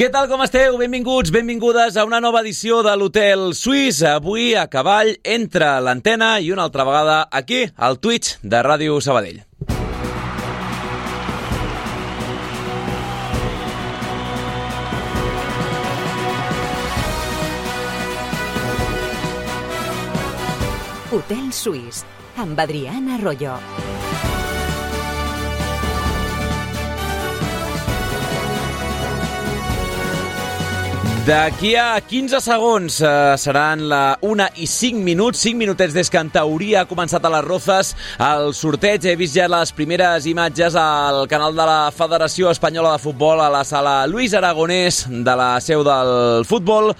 Què tal, com esteu? Benvinguts, benvingudes a una nova edició de l'Hotel Suís. Avui a cavall entre l'antena i una altra vegada aquí, al Twitch de Ràdio Sabadell. Hotel Suís, amb Adriana Arroyo. D'aquí a 15 segons seran la 1 i 5 minuts, 5 minutets des que en teoria ha començat a les Rozas el sorteig. He vist ja les primeres imatges al canal de la Federació Espanyola de Futbol a la sala Luis Aragonés de la seu del futbol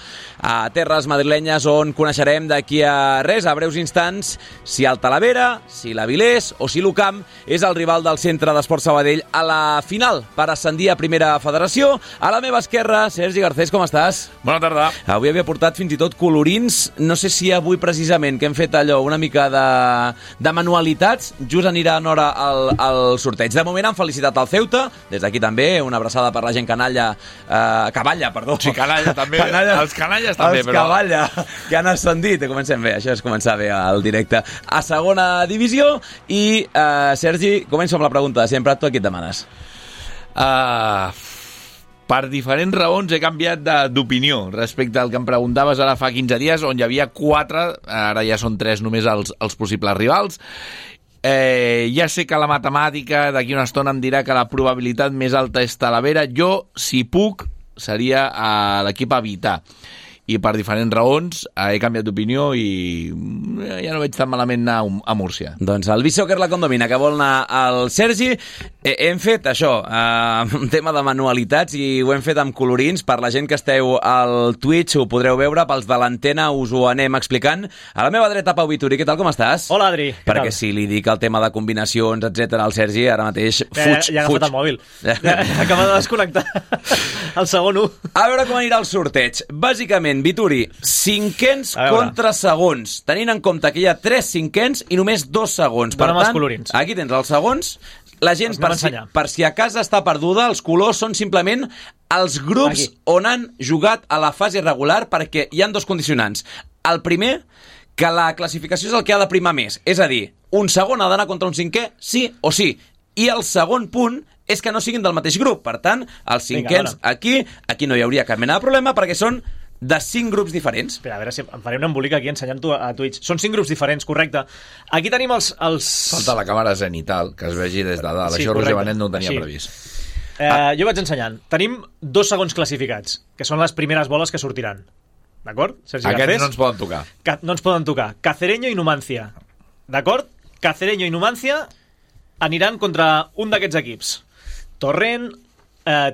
a terres madrilenyes, on coneixerem d'aquí a res, a breus instants, si el Talavera, si l'Avilés o si l'Ucamp és el rival del Centre d'Esport Sabadell a la final per ascendir a Primera Federació. A la meva esquerra, Sergi Garcés, com estàs? Bona tarda. Avui havia portat fins i tot colorins. No sé si avui precisament, que hem fet allò una mica de manualitats, just anirà en hora al sorteig. De moment han felicitat al Ceuta, des d'aquí també una abraçada per la gent canalla, cavalla, perdó. Sí, canalla també, els canalles també. Els cavalla, que han ascendit. Comencem bé, això és començar bé al directe. A segona divisió i, Sergi, començo amb la pregunta de sempre. Tu a qui et demanes? Per diferents raons he canviat d'opinió respecte al que em preguntaves ara fa 15 dies, on hi havia 4, ara ja són 3 només els possibles rivals. Ja sé que la matemàtica d'aquí una estona em dirà que la probabilitat més alta és Talavera. Jo, si puc, seria a l'equip a evitar. I per diferents raons he canviat d'opinió i ja no veig tan malament anar a Múrcia. Doncs el Bishoker la condomina, que vol anar al Sergi. Hem fet això, un tema de manualitats, i ho hem fet amb colorins. Per la gent que esteu al Twitch ho podreu veure, pels de l'antena us ho anem explicant. A la meva dreta, Pau Vituri, què tal, com estàs? Hola, Adri. Perquè si li dic el tema de combinacions, etc al Sergi, ara mateix fuig. Ja ha agafat el mòbil. Acaba de desconnectar el segon 1. A veure com anirà el sorteig. Bàsicament, Vituri, cinquens contra segons, tenint en compte que hi ha 3 cinquens i només 2 segons. Dóna'm els colorins. Aquí tens els segons. La gent, per si a casa està perduda, els colors són simplement els grups on han jugat a la fase regular, perquè hi han 2 condicionants. El primer, que la classificació és el que ha de primar més. És a dir, un segon ha d'anar contra un cinquè, sí o sí. I el segon punt és que no siguin del mateix grup. Per tant, els cinquens aquí no hi hauria cap mena de problema, perquè són de 5 grups diferents. Espera, a veure si em faré un embolic aquí ensenyant-ho a Twitch. Són 5 grups diferents, correcte. Aquí tenim els... Falta la càmera zenital, que es vegi des de dalt. Sí, això Roger Benet no ho tenia previst. Jo vaig ensenyant. Tenim 2 segons classificats, que són les primeres boles que sortiran. D'acord? Aquests no ens poden tocar. No ens poden tocar. Cacereño i Numancia. D'acord? Cacereño i Numancia aniran contra un d'aquests equips. Torrent,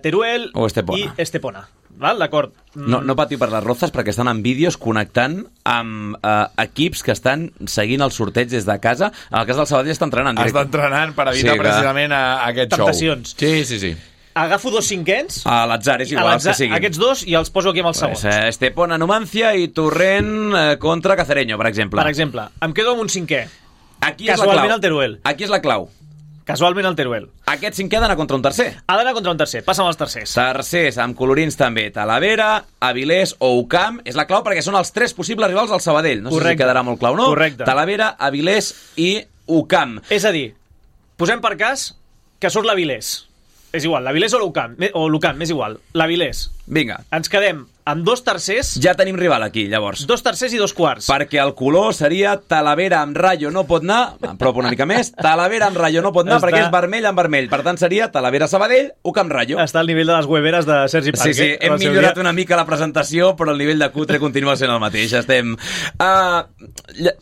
Teruel i Estepona. Val, d'acord. No patiu per les Rozas, perquè estan en vídeos connectant amb equips que estan seguint el sorteig des de casa. En el cas del Sabadell està entrenant. Està entrenant per evitar precisament aquest temptacions. Show. Sí. Agafo 2 cinquens. A l'atzar, és igual que siguin. Aquests 2 i els poso aquí amb els segons. Estepona, Numancia i Torrent contra Cacereño, per exemple. Per exemple. Em quedo amb un cinquè. Aquí és la clau. Casualment el Teruel. Aquí és la clau. Casualment el Teruel. Aquest cinquè ha d'anar contra un tercer. Ha d'anar contra un tercer. Passa amb els tercers. Tercers, amb colorins també. Talavera, Avilés o Ucamp. És la clau perquè són els 3 possibles rivals del Sabadell. No sé si quedarà molt clau o no. Correcte. Talavera, Avilés i Ucamp. És a dir, posem per cas que surt l'Avilés. És igual, l'Avilés o l'Ucamp, és igual. L'Avilés. Vinga. Ens quedem amb 2 tercers. Ja tenim rival aquí, llavors. 2 tercers i 2 quarts. Perquè el color seria Talavera amb ratllo no pot anar, apropo una mica més, Talavera amb ratllo no pot anar perquè és vermell amb vermell. Per tant, seria Talavera Sabadell, Ucamp ratllo. Està al nivell de les weberes de Sergi Parque. Sí, hem millorat una mica la presentació, però el nivell de cutre continua sent el mateix. Estem...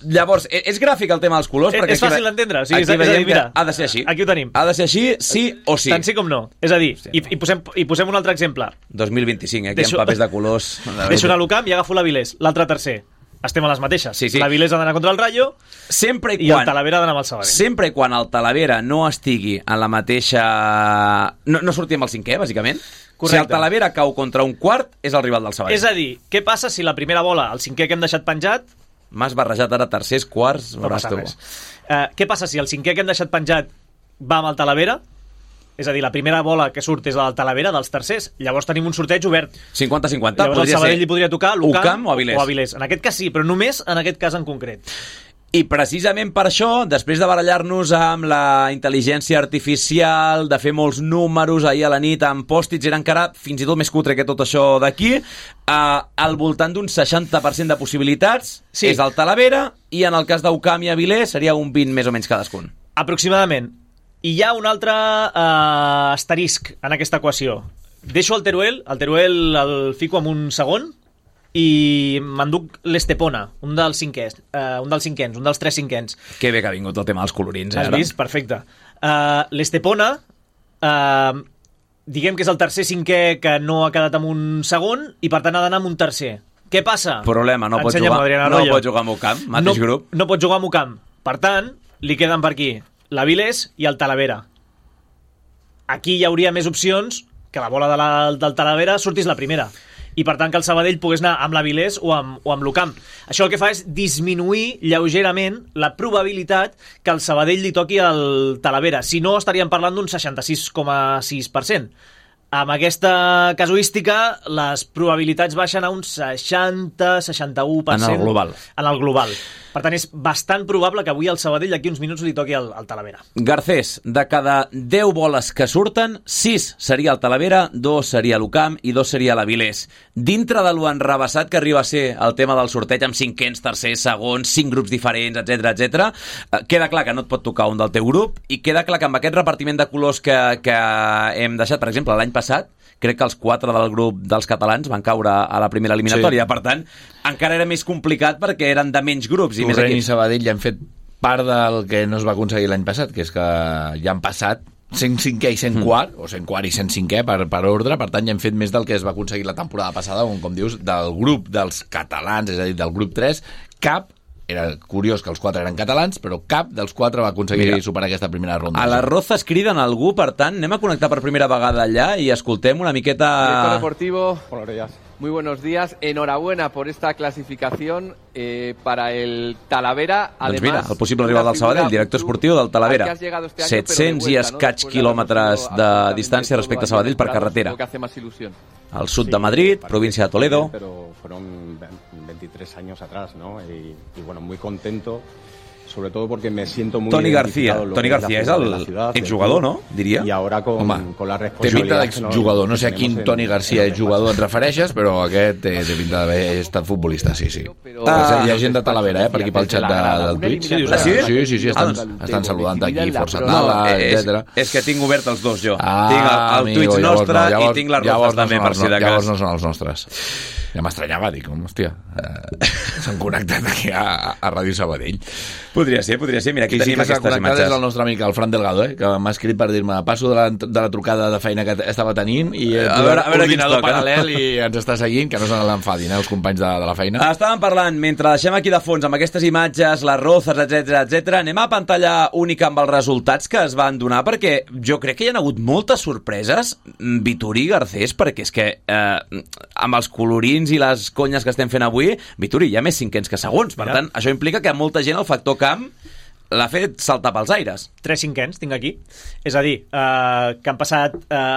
Llavors, és gràfic el tema dels colors? És fàcil d'entendre. Sí, és a dir, mira, ha de ser així. Aquí ho tenim. Ha de ser així, sí o sí. Tant sí com no. És a dir, i posem un altre exemple. 2025, aquí amb papers de colors. Deixo anar l'Ucamp i agafo l'Avilés, l'altre tercer. Estem a les mateixes. Sí. L'Avilés ha d'anar contra el Rayo i el Talavera ha d'anar amb el Sabadell. Sempre i quan el Talavera no estigui en la mateixa... No surti amb el cinquè, bàsicament. Correcte. Si el Talavera cau contra un quart, és el rival del Sabadell. És a dir, què passa si la primera bola, el cinquè que hem deixat penjat... M'has barrejat ara tercers, quarts... No passa res. Què passa si el cinquè que hem deixat penjat va amb el Talavera? És a dir, la primera bola que surt és la del Talavera, dels tercers. Llavors tenim un sorteig obert. 50-50. Llavors el Sabadell li podria tocar l'UCAM o Avilés. En aquest cas sí, però només en aquest cas en concret. I precisament per això, després de barallar-nos amb la intel·ligència artificial, de fer molts números ahir a la nit amb pòstits, era encara fins i tot més cutre que tot això d'aquí, al voltant d'un 60% de possibilitats és el Talavera, i en el cas d'UCAM i Avilés seria un 20 més o menys cadascun. Aproximadament. I hi ha un altre asterisc en aquesta equació. Deixo el Teruel el fico amb un segon, i m'enduc l'Estepona, un dels cinquens, un dels 3 cinquens. Que bé que ha vingut el tema dels colorins. Has vist? Perfecte. L'Estepona, diguem que és el tercer cinquè que no ha quedat amb un segon, i per tant ha d'anar amb un tercer. Què passa? Problema, no pot jugar amb UCAM, mateix grup. No pot jugar amb UCAM. Per tant, li queden per aquí l'Avilés i el Talavera. Aquí hi hauria més opcions que la bola del Talavera sortís la primera, i per tant que el Sabadell pogués anar amb l'Avilés o amb l'UCAM. Això el que fa és disminuir lleugerament la probabilitat que el Sabadell li toqui al Talavera. Si no, estaríem parlant d'un 66,6%. Amb aquesta casuística, les probabilitats baixen a un 60-61%. En el global. En el global. Per tant, és bastant probable que avui al Sabadell d'aquí uns minuts li toqui al Talavera. Garcés, de cada 10 boles que surten, 6 seria el Talavera, 2 seria l'UCAM i 2 seria l'Avilés. Dintre de lo enrabassat que arriba a ser el tema del sorteig amb cinquens, tercers, segons, 5 grups diferents, etc, queda clar que no et pot tocar un del teu grup, i queda clar que amb aquest repartiment de colors que hem deixat, per exemple, l'any passat, crec que els 4 del grup dels catalans van caure a la primera eliminatòria. Sí. Per tant, encara era més complicat perquè eren de menys grups. Torrent i Sabadell ja han fet part del que no es va aconseguir l'any passat, que és que ja han passat 105è i 104, o 104 i 105è per ordre, per tant ja han fet més del que es va aconseguir la temporada passada, on, com dius, del grup dels catalans, és a dir, del grup 3, cap, era curiós que els 4 eren catalans, però cap dels 4 va aconseguir superar aquesta primera ronda. A les Rozas criden algú, per tant, anem a connectar per primera vegada allà i escoltem una miqueta... Director deportivo, muy buenos días, enhorabuena por esta clasificación para el Talavera. Doncs mira, el possible rival del Sabadell, director esportiu del Talavera. 700 i escaig quilòmetres de distància respecte a Sabadell per carretera. Al sud de Madrid, província de Toledo. Pero fueron 23 años atrás, ¿no? Y bueno, muy contento, sobre todo porque me siento muy... Toni García és exjugador, no? Diria. Y ahora con la responsabilidad... Té pinta d'exjugador, no sé a quin Toni García exjugador et refereixes, però aquest té pinta d'haver estat futbolista, sí. Hi ha gent de Talavera, per aquí pel xat del Twitch. Sí, estan saludant aquí Força Tala, etc. És que tinc obert els dos, jo. Tinc el Twitch nostre i tinc les Rozas també, per si de cas. Llavors no són els nostres. Ja m'estranyava, dic, hòstia, s'han connectat aquí a Ràdio Sabadell. Podria ser. Mira, aquí tenim aquestes imatges. És el nostre amic, el Fran Delgado, que m'ha escrit per dir-me passo de la trucada de feina que estava tenint i l'ordinador paral·lel i ens està seguint, que no se l'enfadin, els companys de la feina. Estàvem parlant, mentre deixem aquí de fons amb aquestes imatges, les Rozas, etc, anem a pantalla única amb els resultats que es van donar, perquè jo crec que hi ha hagut moltes sorpreses, Vituri i Garcés, perquè és que amb els colorins i les conyes que estem fent avui, Vituri hi ha més cinquens que segons, per tant, això implica que molta gent el factor camp l'ha fet saltar pels aires. 3 cinquens tinc aquí, és a dir, que han passat,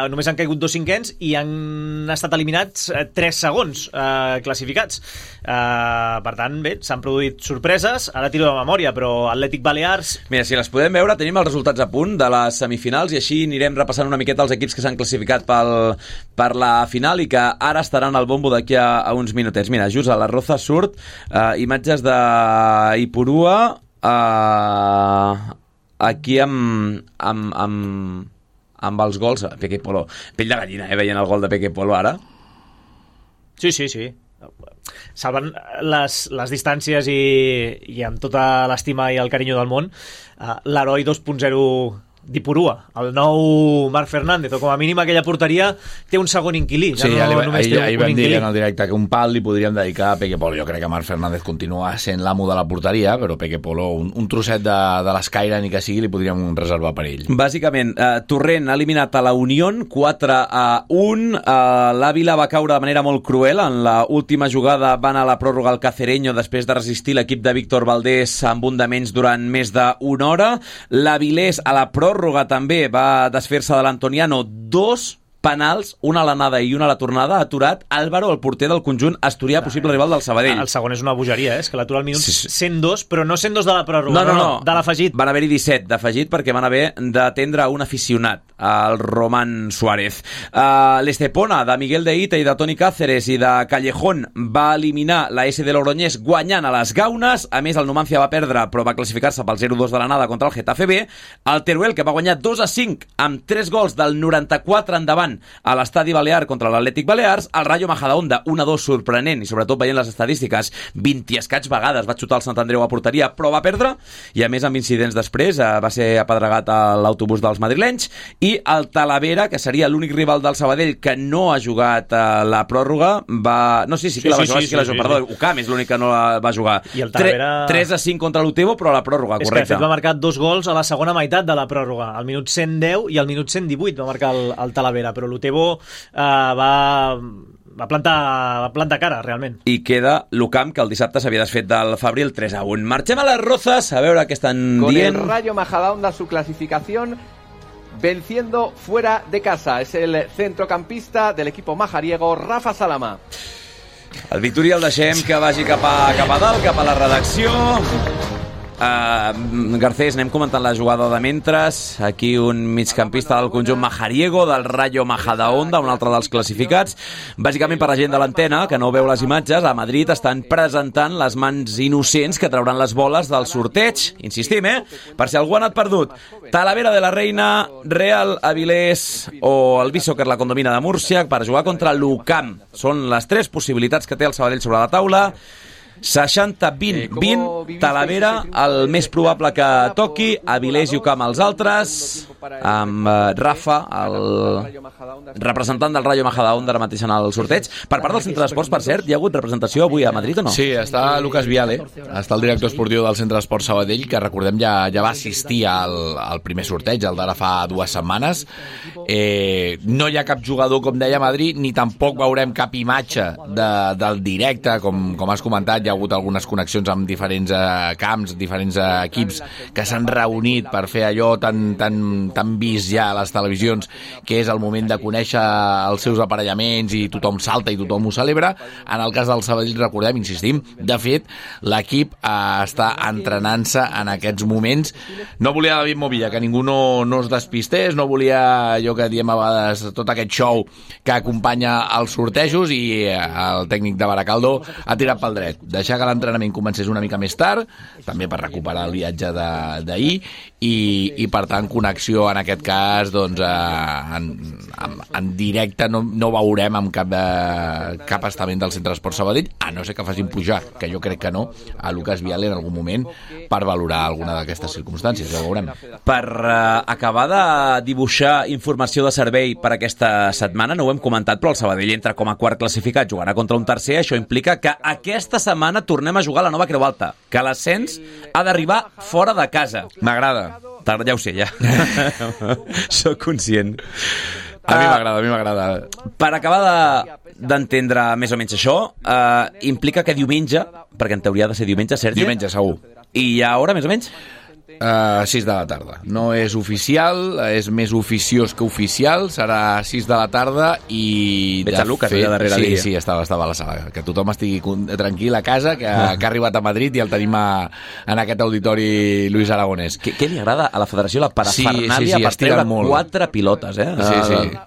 només han caigut 2 cinquens i han estat eliminats 3 segons classificats. Per tant, bé, s'han produït sorpreses, ara tiro de memòria, però Atlètic Balears... Mira, si les podem veure, tenim els resultats a punt de les semifinals i així anirem repassant una miqueta els equips que s'han classificat per la final i que ara estaran al bombo d'aquí a uns minutets. Mira, just a la Rozas surt imatges d'Ipurua, aquí amb els gols Peque Polo, pell de gallina, veient el gol de Peque Polo ara. Sí. Salvant les distàncies i amb tota l'estima i el carinyo del món, l'heroi 2.0 d'Ipurua, el nou Marc Fernández, o com a mínim aquella porteria té un segon inquilí. Sí, ahir vam dir en el directe que un pal li podríem dedicar a Peque Polo. Jo crec que Marc Fernández continua sent l'amo de la porteria, però Peque Polo, un trosset de l'escaire ni que sigui, li podríem reservar per ell. Bàsicament, Torrent ha eliminat a la Unión 4-1, l'Àvila va caure de manera molt cruel, en l'última jugada van a la pròrroga al Cacereño després de resistir l'equip de Víctor Valdés amb un de menys durant més d'una hora. L'Avilés a la pròrroga pròrroga també va desfer-se de l'Antoniano 2 penals, una a l'anada i una a la tornada, ha aturat Álvaro, el porter del conjunt asturià, possible rival del Sabadell. El segon és una bogeria, és que l'atura al minut 102, però no 102 de la pròrroga, no, de l'afegit. Van haver-hi 17 d'afegit perquè van haver d'atendre un aficionat, el Román Suárez. L'Estepona, de Miguel de Ita i de Toni Cáceres i de Callejón, va eliminar la S de Logroñés guanyant a les Gaunes. A més, el Numancia va perdre, però va classificar-se pel 0-2 de l'anada contra el Getafe B. El Teruel, que va guanyar 2-5 amb 3 gols del 94 endavant a l'estadi Balear contra l'Atlètic Balears. El Rayo Majadahonda 1-2 sorprenent, i sobretot veient les estadístiques, 20 i escaig vegades va xutar el Sant Andreu a porteria, però va perdre, i a més amb incidents després va ser apedregat a l'autobús dels madrilenys. I el Talavera, que seria l'únic rival del Sabadell que no ha jugat a la pròrroga, va... No, sí que la va jugar, perdó, Ucam és l'únic que no la va jugar. I el Talavera... 3-5 contra l'Utebo, però a la pròrroga, correcte. És que de fet va marcar 2 gols a la segona meitat de la pròrroga, al minut 110 i al minut 118 va marcar el Talavera, però l'Utebo va plantar cara, realment. I queda l'Ucam, que el dissabte s'havia desfet del Fabril 3-1. Marxem a les Rozas a veure què estan dient. Con el Rayo Majadahonda su clasificación venciendo fuera de casa. Es el centrocampista del equipo majariego, Rafa Salama. El Victorí el deixem que vagi cap a dalt, cap a la redacció. Garcés, anem comentant la jugada de mentres. Aquí un migcampista del conjunt majariego, del Rayo Majadahonda, un altre dels classificats. Bàsicament, per la gent de l'antena que no veu les imatges, a Madrid estan presentant les mans innocents que trauran les boles del sorteig. Insistim, per si algú ha anat perdut. Talavera de la Reina, Real Avilés o el Bishoker, la Condomina de Múrcia, per jugar contra l'Ucam. Són les 3 possibilitats que té el Sabadell sobre la taula. 60-20, Talavera el més probable que toqui, Avilés i Ucam els altres, amb Rafa, el representant del Rayo Majadahonda ara mateix en el sorteig. Per part del Centre d'Esports, per cert, hi ha hagut representació avui a Madrid o no? Sí, està Lucas Viale, està el director esportiu del Centre d'Esports Sabadell, que recordem ja va assistir al primer sorteig, el d'ara fa 2 setmanes. No hi ha cap jugador, com deia, a Madrid, ni tampoc veurem cap imatge del directe, com has comentat. Hi ha hagut algunes connexions amb diferents camps, diferents equips que s'han reunit per fer allò tan vist ja a les televisions, que és el moment de conèixer els seus aparellaments i tothom salta i tothom ho celebra. En el cas del Sabadell, recordem, insistim, de fet, l'equip està entrenant-se en aquests moments. No volia David Movilla que ningú no es despistés, no volia allò que diem a vegades, tot aquest show que acompanya els sortejos, i el tècnic de Baracaldo ha tirat pel dret, deixar que l'entrenament comencés una mica més tard, també per recuperar el viatge d'ahir, i per tant connexió en aquest cas doncs en directe no veurem amb cap estament del Centre d'Esports Sabadell, a no ser que facin pujar, que jo crec que no, a Lucas Viale en algun moment per valorar alguna d'aquestes circumstàncies, ja ho veurem. Per acabar de dibuixar informació de servei per aquesta setmana, no ho hem comentat, però el Sabadell entra com a quart classificat, jugarà contra un tercer. Això implica que aquesta setmana tornem a jugar a la nova Creu Alta, que l'ascens ha d'arribar fora de casa. M'agrada. Ja ho sé, ja. Soc conscient. A mi m'agrada. Per acabar d'entendre més o menys això, implica que diumenge, perquè en teoria ha de ser diumenge, Sergi? Diumenge, segur. I hi ha hora, més o menys? 6 de la tarda. No és oficial, és més oficiós que oficial, serà 6 de la tarda i... Veig a Lucas allà darrere. Sí, estava a la sala. Que tothom estigui tranquil a casa, que ha arribat a Madrid i el tenim en aquest auditori Luis Aragonès. Què li agrada a la federació la parafernàlia per treure 4 pilotes, Sí.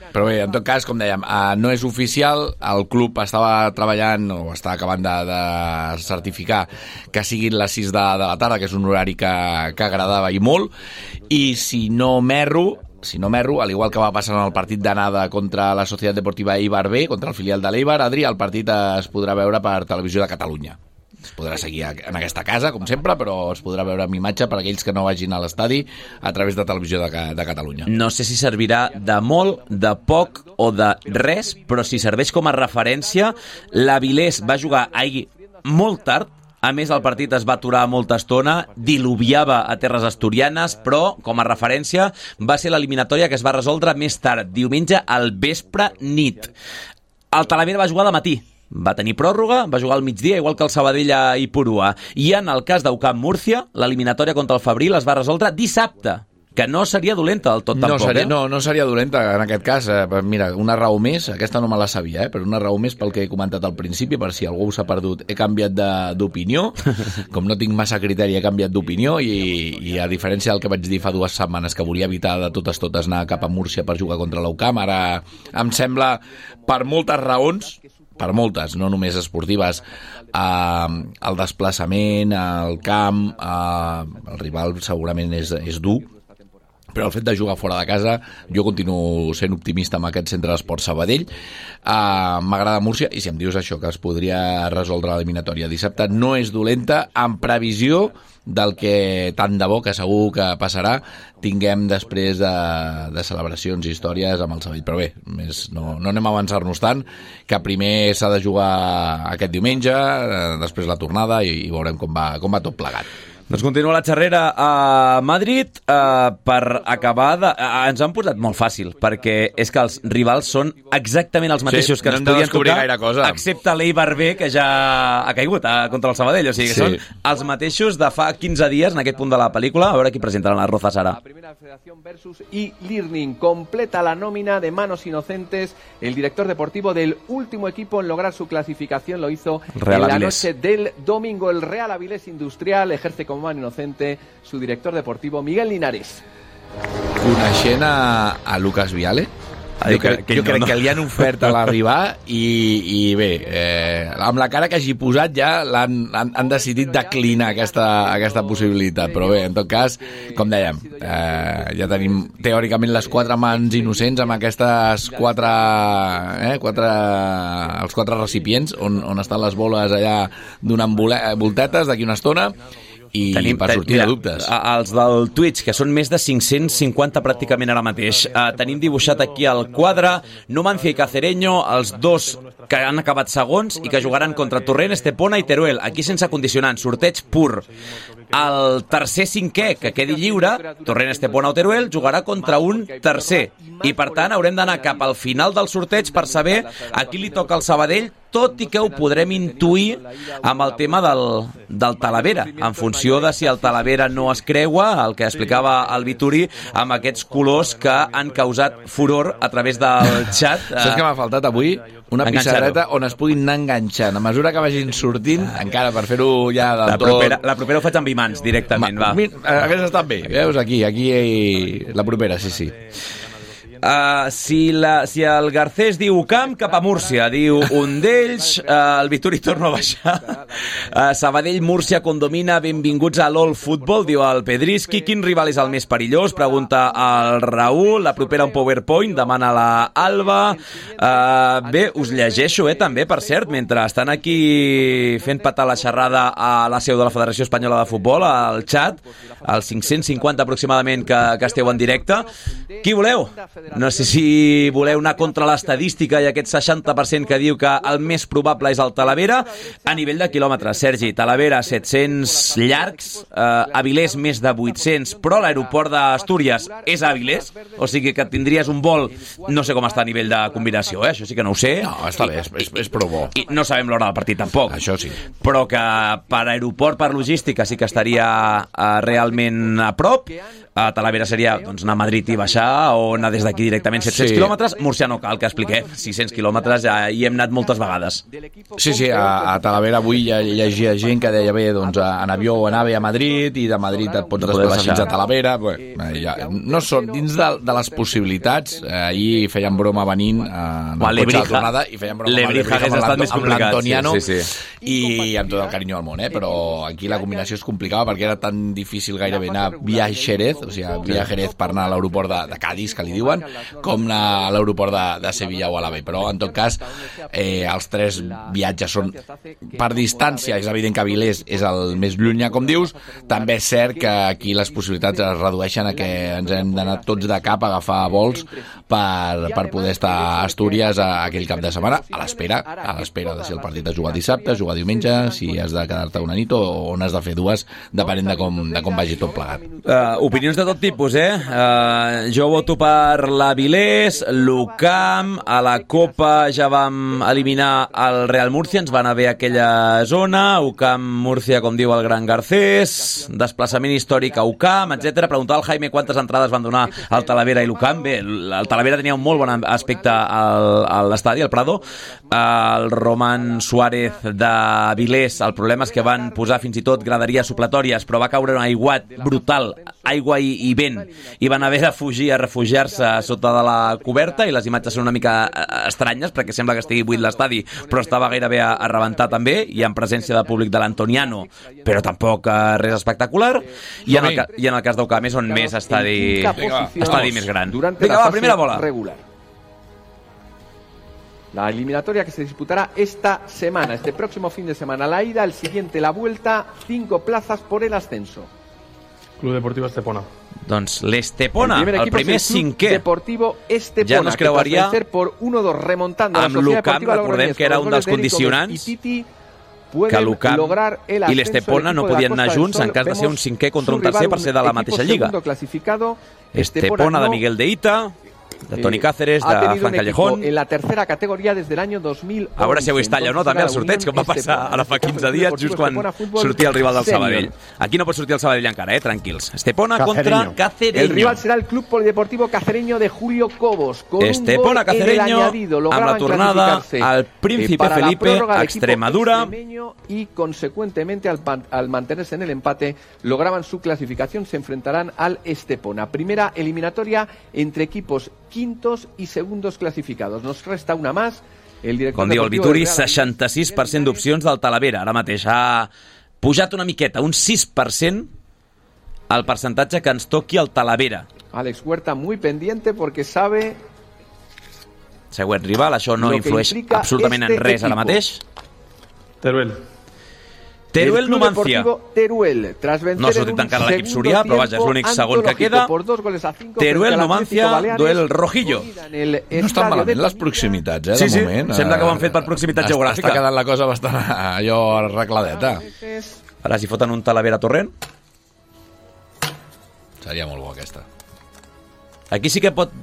Però bé, en tot cas, com dèiem, no és oficial, el club estava treballant o està acabant de certificar que siguin les 6 de la tarda, que és un horari que agradava i molt, i si no m'erro, al igual que va passar en el partit d'anada contra la Societat Deportiva Eibar B, contra el filial de l'Eibar, Adri, el partit es podrà veure per Televisió de Catalunya. Es podrà seguir en aquesta casa, com sempre, però es podrà veure amb imatge per aquells que no vagin a l'estadi a través de Televisió de Catalunya. No sé si servirà de molt, de poc o de res, però si serveix com a referència, l'Avilés va jugar ahir molt tard. A més, el partit es va aturar molta estona, diluviava a terres asturianes, però, com a referència, va ser l'eliminatòria que es va resoldre més tard, diumenge al vespre nit. El Talavera va jugar de matí. Va tenir pròrroga, va jugar al migdia, igual que el Sabadell a Ipurua. I en el cas d'Ucam Múrcia, l'eliminatòria contra el Fabril es va resoldre dissabte. que no seria dolenta del tot tampoc. No seria dolenta en aquest cas. Mira, una raó més, aquesta no me la sabia, però una raó més pel que he comentat al principi, per si algú s'ha perdut, he canviat d'opinió. Com no tinc massa criteri, he canviat d'opinió i a diferència del que vaig dir fa 2 setmanes, que volia evitar de totes anar cap a Múrcia per jugar contra l'UQAM, ara em sembla, per moltes raons, per moltes, no només esportives, el desplaçament, el camp, el rival segurament és dur, però el fet de jugar fora de casa, jo continuo sent optimista amb aquest centre d'esport Sabadell. M'agrada Múrcia, i si em dius això, que es podria resoldre l'eliminatòria dissabte, no és dolenta, en previsió del que tant de bo, que segur que passarà, tinguem després de celebracions i històries amb el Sabadell. Però bé, no anem a avançar-nos tant, que primer s'ha de jugar aquest diumenge, després la tornada, i veurem com va tot plegat. Doncs continua la xerrera a Madrid. Per acabar, ens han posat molt fàcil, perquè és que els rivals són exactament els mateixos que ens podien tocar, excepte l'Eibar B, que ja ha caigut contra el Sabadell. O sigui que són els mateixos de fa 15 dies en aquest punt de la pel·lícula. A veure qui presentaran les rozas ara. La primera Federación versus e-Learning completa la nómina de manos inocentes. El director deportivo del último equipo en lograr su clasificación lo hizo en la noche del domingo. El Real Avilés Industrial ejerce como mano inocente su director deportivo Miguel Linares. Coneixent a Lucas Viale, jo crec que li han ofert a l'arribar i bé, amb la cara que hagi posat ja han decidit declinar aquesta possibilitat, però bé, en tot cas, com dèiem, ja tenim teòricament les 4 mans innocents amb aquestes 4 els 4 recipients on estan les boles allà donant voltetes d'aquí una estona, i per sortir de dubtes. Els del Twitch, que són més de 550 pràcticament ara mateix, tenim dibuixat aquí al quadre Numancia i Cacereño, els 2 que han acabat segons i que jugaran contra Torrent, Estepona i Teruel, aquí sense condicionant, sorteig pur. El tercer cinquè que quedi lliure, Torrent, Estepona o Teruel, jugarà contra un tercer, i per tant haurem d'anar cap al final del sorteig per saber a qui li toca el Sabadell, tot i que ho podrem intuir amb el tema del Talavera, en funció de si el Talavera no es creua, el que explicava el Vituri, amb aquests colors que han causat furor a través del xat. Saps què m'ha faltat avui? Una pissarreta on es puguin anar enganxant. A mesura que vagin sortint, encara per fer-ho ja del tot... La propera ho faig amb imants, directament, va. Hagués estat bé, veus? Aquí la propera, sí. Si el Garcés diu camp, cap a Múrcia, diu un d'ells, el Vituri torna a baixar. Sabadell, Múrcia, condomina, benvinguts a l'All Football, diu el Pedrisqui. Quin rival és el més perillós? Pregunta el Raül. La propera un PowerPoint, demana la Alba. Bé, us llegeixo, també, per cert, mentre estan aquí fent patar la xerrada a la seu de la Federació Espanyola de Futbol, al xat, als 550 aproximadament que esteu en directe. Qui voleu? No sé si voleu anar contra l'estadística i aquest 60% que diu que el més probable és el Talavera. A nivell de quilòmetres, Sergi, Talavera 700 llargs, Avilés més de 800, però l'aeroport d'Astúries és a Avilés, o sigui que tindries un vol, no sé com està a nivell de combinació, això sí que no ho sé. No, està bé, és prou bo. I no sabem l'hora del partit tampoc. Això sí. Però que per aeroport, per logística, sí que estaria realment a prop. A Talavera seria anar a Madrid i baixar, o anar des d'aquí directament 700 quilòmetres. Múrcia no cal que expliquem, 600 quilòmetres ja hi hem anat moltes vegades. Sí, a Talavera avui ja llegia gent que deia, bé, doncs en avió anava a Madrid i de Madrid et pots desplaçar fins a Talavera. No són dins de les possibilitats. Ahir feien broma venint en el cotxe de tornada i feien broma amb l'Antoniano i amb tot el carinyo del món, però aquí la combinació és complicada perquè era tan difícil gairebé anar via Jerez, o sigui, via Jerez per anar a l'aeroport de Cádiz, que li diuen, com anar a l'aeroport de Sevilla o Alavés. Però, en tot cas, els 3 viatges són per distància. És evident que Avilés és el més llunyà, com dius. També és cert que aquí les possibilitats es redueixen a que ens hem d'anar tots de cap a agafar vols per poder estar a Astúries aquell cap de setmana, a l'espera de si el partit es juga dissabte, es juga diumenge, si has de quedar-te una nit o on has de fer 2, depenent de com vagi tot plegat. Opinions de tot tipus, jo voto per l'Avilés, l'UCAM, a la Copa ja vam eliminar el Real Murcia, ens va anar bé aquella zona, UCAM Murcia, com diu el gran Garcés, desplaçament històric a UCAM, etc. Preguntava al Jaime quantes entrades van donar al Talavera i l'UCAM. Bé, el Talavera tenia un molt bon aspecte a l'estadi, al Prado. El Roman Suárez d'Avilés, el problema és que van posar fins i tot graderies supletòries, però va caure un aiguat brutal, aigua i vent, i van haver de fugir a refugiar-se sota de la coberta, i les imatges són una mica estranyes perquè sembla que estigui buit l'estadi, però estava gairebé a rebentar també, i en presència de públic de l'Antoniano, però tampoc res espectacular, i en el cas d'Ucam és on més estadi més gran. Vinga, va, primera bola. La eliminatoria que se disputará esta semana, este próximo fin de semana. La ida, el siguiente, la vuelta, 5 plazas por el ascenso. Club Deportivo Estepona. Doncs l'Estepona, el primer cinquè. Deportivo Estepona, ja no es creuaria por 1-2 remontando amb l'UCAM, recordem que era un dels condicionants que l'UCAM i l'Estepona no podien anar junts en cas de ser un cinquè contra un tercer per ser de la mateixa lliga. Estepona de Miguel de Ita, de Toni Cáceres, de Fran Callejón. En la tercera categoria desde el año 2011. A veure si avui es talla o no també el sorteig, com va passar ara fa 15 dies, just quan sortia el rival del Sabadell. Aquí no pot sortir el Sabadell encara, tranquils. Estepona contra Cacereño. El rival serà el Club Polideportivo Cacereño de Julio Cobos. Estepona Cacereño, amb la tornada al Príncipe Felipe a Extremadura. Y consecuentemente, al mantenerse en el empate, lograban su clasificación. Se enfrentarán al Estepona. Primera eliminatoria entre equipos quintos y segundos clasificados. Nos resta una más. Com diu el Vituri, 66% d'opcions del Talavera. Ara mateix ha pujat una miqueta, un 6% el percentatge que ens toqui el Talavera. Alex Huerta muy pendiente porque sabe... Següent rival, això no influeix absolutament en res ara mateix. Teruel Numancia. No ha sortit encara l'equip sorià, però vaja, és l'únic segon que queda. Teruel Numancia, duel rojillo. No estan malament les proximitats, de moment. Sembla que ho han fet per proximitat geogràfica. Està quedant la cosa bastant allò arregladeta. Ara si foten un Talavera Torrent. Seria molt bo aquesta. Aquí sí que pot...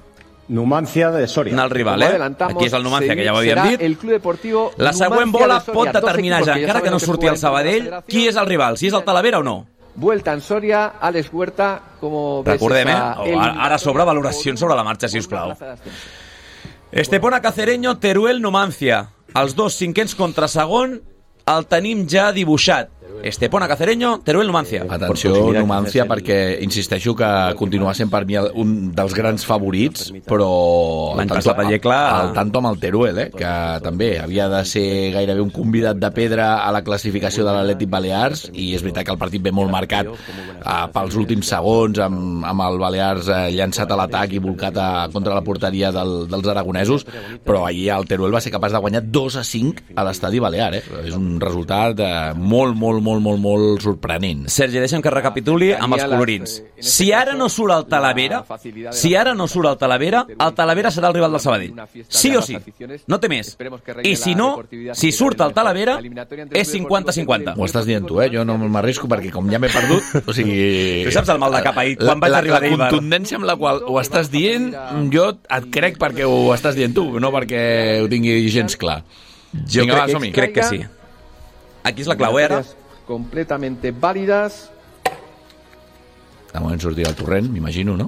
Numancia de Soria. El rival, Aquí és el Numancia, que ja ho havíem dit. La següent bola pot determinar ja, encara que no surti el Sabadell, qui és el rival, si és el Talavera o no. Vuelta en Soria, Alex Huerta, como ves. Recordem, ara sobre valoracions sobre la marxa, si us plau. Estepona Cacereño, Teruel Numancia. Els dos cinquens contra segon el tenim ja dibuixat. Estepona Cacereño, Teruel Numancia. Atenció, Numancia, perquè insisteixo que continua sent per mi un dels grans favorits, però el tanto amb el Teruel, que també havia de ser gairebé un convidat de pedra a la classificació de l'Atlètic Balears, i és veritat que el partit ve molt marcat pels últims segons, amb el Balears llançat a l'atac i volcat contra la porteria dels aragonesos, però ahir el Teruel va ser capaç de guanyar 2-5 a l'estadi Balear. És un resultat molt sorprenent. Sergi, deixa'm que recapituli amb els colorins. Si ara no surt el Talavera, el Talavera serà el rival del Sabadell. Sí o sí. No té més. I si no, si surt el Talavera, és 50-50. Ho estàs dient tu, jo no m'arrisco perquè com ja m'he perdut, o sigui... Tu saps el mal de cap ahir, quan vaig arribar a Eibar. La contundència amb la qual ho estàs dient, jo et crec perquè ho estàs dient tu, no perquè ho tingui gens clar. Jo crec que sí. Aquí és la clau, ara. Completamente válidas. De moment sortirà el Torrent, m'imagino, no?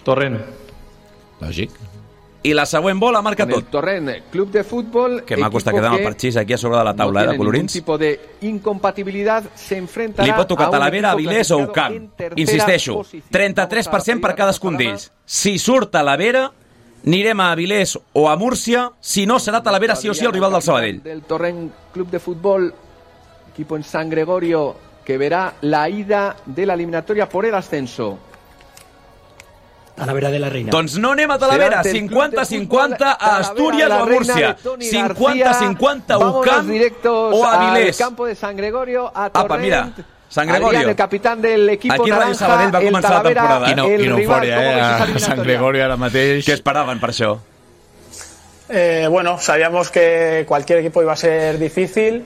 Torrent. Lògic. I la següent bola marca tot. Torrent, club de futbol. Que m'ha costat quedar el parxís aquí a sobre de la taula, de colorins. Tipo de incompatibilidad se enfrentarà. Li pot tocar Talavera, Avilés o UCAM. Insisteixo, 33% per cadascun d'ells. Si surt Talavera, anirem a Avilés o a Múrcia, si no serà Talavera sí o sí el rival del Sabadell. Del Torrent Club de Fútbol, equipo en San Gregorio, que verá la ida de la eliminatoria por el ascenso. Talavera de la Reina. Doncs no anem a Talavera, 50-50 a Astúries o a Múrcia, 50-50 a UCAM o a Avilés. Campo de San Gregorio, a Torrent. Apa, mira, San Gregorio. Adrián, el capitán del equipo aquí naranja, Ràdio Sabadell va començar la temporada. Quina eufòria, a San Gregorio ara mateix. Què esperaven per això? Bueno, sabíamos que cualquier equipo iba a ser difícil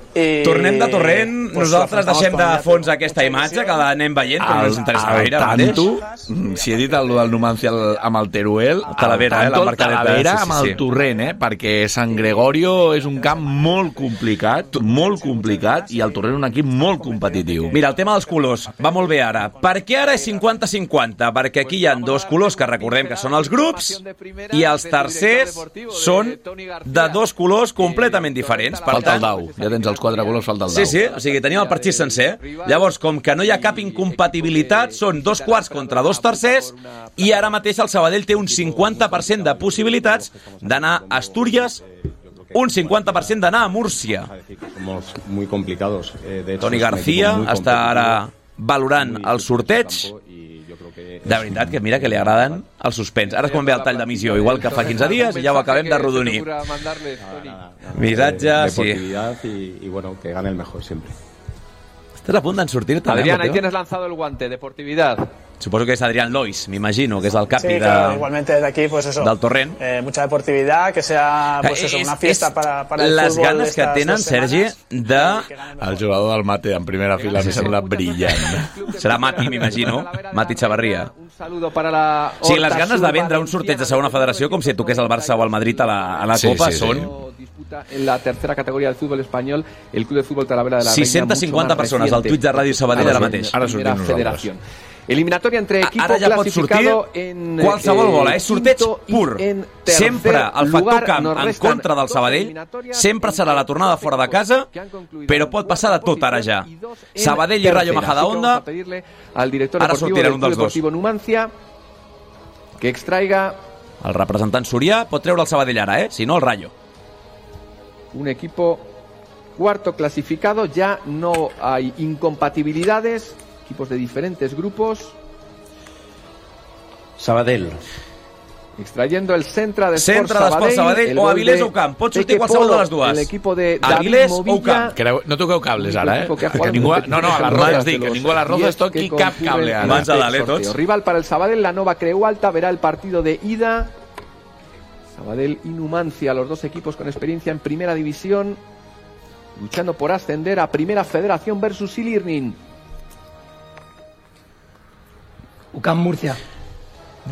Tornem de Torrent, nosaltres deixem de fons aquesta imatge que l'anem veient, però no ens interessa gaire. Tanto, si he dit el del Numancia amb el Teruel, Talavera, el Talavera amb el Torrent, perquè Sant Gregorio és un camp molt complicat, i el Torrent un equip molt competitiu. Mira, el tema dels colors va molt bé ara. Per què ara és 50-50? Perquè aquí hi ha dos colors que recordem que són els grups i els tercers són de dos colors completament diferents. Falta el dau, ja tens els 4 colors, falta el dau. Sí, o sigui, tenim el partit sencer. Llavors, com que no hi ha cap incompatibilitat, són 2 quarts contra 2 tercers i ara mateix el Sabadell té un 50% de possibilitats d'anar a Astúries, un 50% d'anar a Múrcia. Muy complicados. Toni García està ara valorant el sorteig. De veritat que mira que li agraden els suspens. Ara és quan ve el tall d'emissió, igual que fa 15 dies, i ja ho acabem de rodonir. Missatge, sí. Y bueno, que gane el mejor siempre. Estàs a punt d'en sortir-te. Adrián, ahí tienes lanzado el guante, deportividad. Supongo que es Adrián Lois, me imagino, que es el capi sí, claro, igualmente desde aquí, pues eso, del Torrent. Mucha deportividad, que sea pues eso, una fiesta para el les fútbol. Ganes que tenen, Sergi, de... El jugador del Mate en primera fila em sembla brillant. Serà Mati, m'imagino, Mati Chavarria. Un saludo para la... Sí, les ganes de vendre un sorteig de segona federació com si toqués el Barça o el Madrid a la Copa són... En la tercera categoría del fútbol español, el Club de Fútbol Talavera de la Reina. 650 persones al Twitch de Ràdio Sabadell ara mateix. Ara sortim nosaltres. Eliminatòria entre equipo ara ja pot sortir qualsevol bola, és sorteig pur. Sempre el factor camp en contra del Sabadell, sempre serà la tornada fora de casa, però pot passar de tot ara ja. Sabadell i Rayo Majadahonda, ara sortiran un dels dos. Que extraiga... El representant Surià pot treure el Sabadell ara, si no el Rayo. Un equipo cuarto clasificado, ya no hay incompatibilidades. Equipos de diferentes grupos. Sabadell. Extrayendo el Centre d'Esports Sabadell o Avilés o Camp. Pot sortir qualsevol de les dues. El equipo de Avilés o Camp. No toqueu cables ara, Que ningú, no, a les rodes dic, que ningú a les rodes toqui cap cable ara. Abans de dalt, tots. Rival para el Sabadell, la Nova Creu Alta, verá el partido de ida. Sabadell y Numancia, los dos equipos con experiencia en primera división, luchando por ascender a Primera Federación versus Ilirnin. UCAM Múrcia.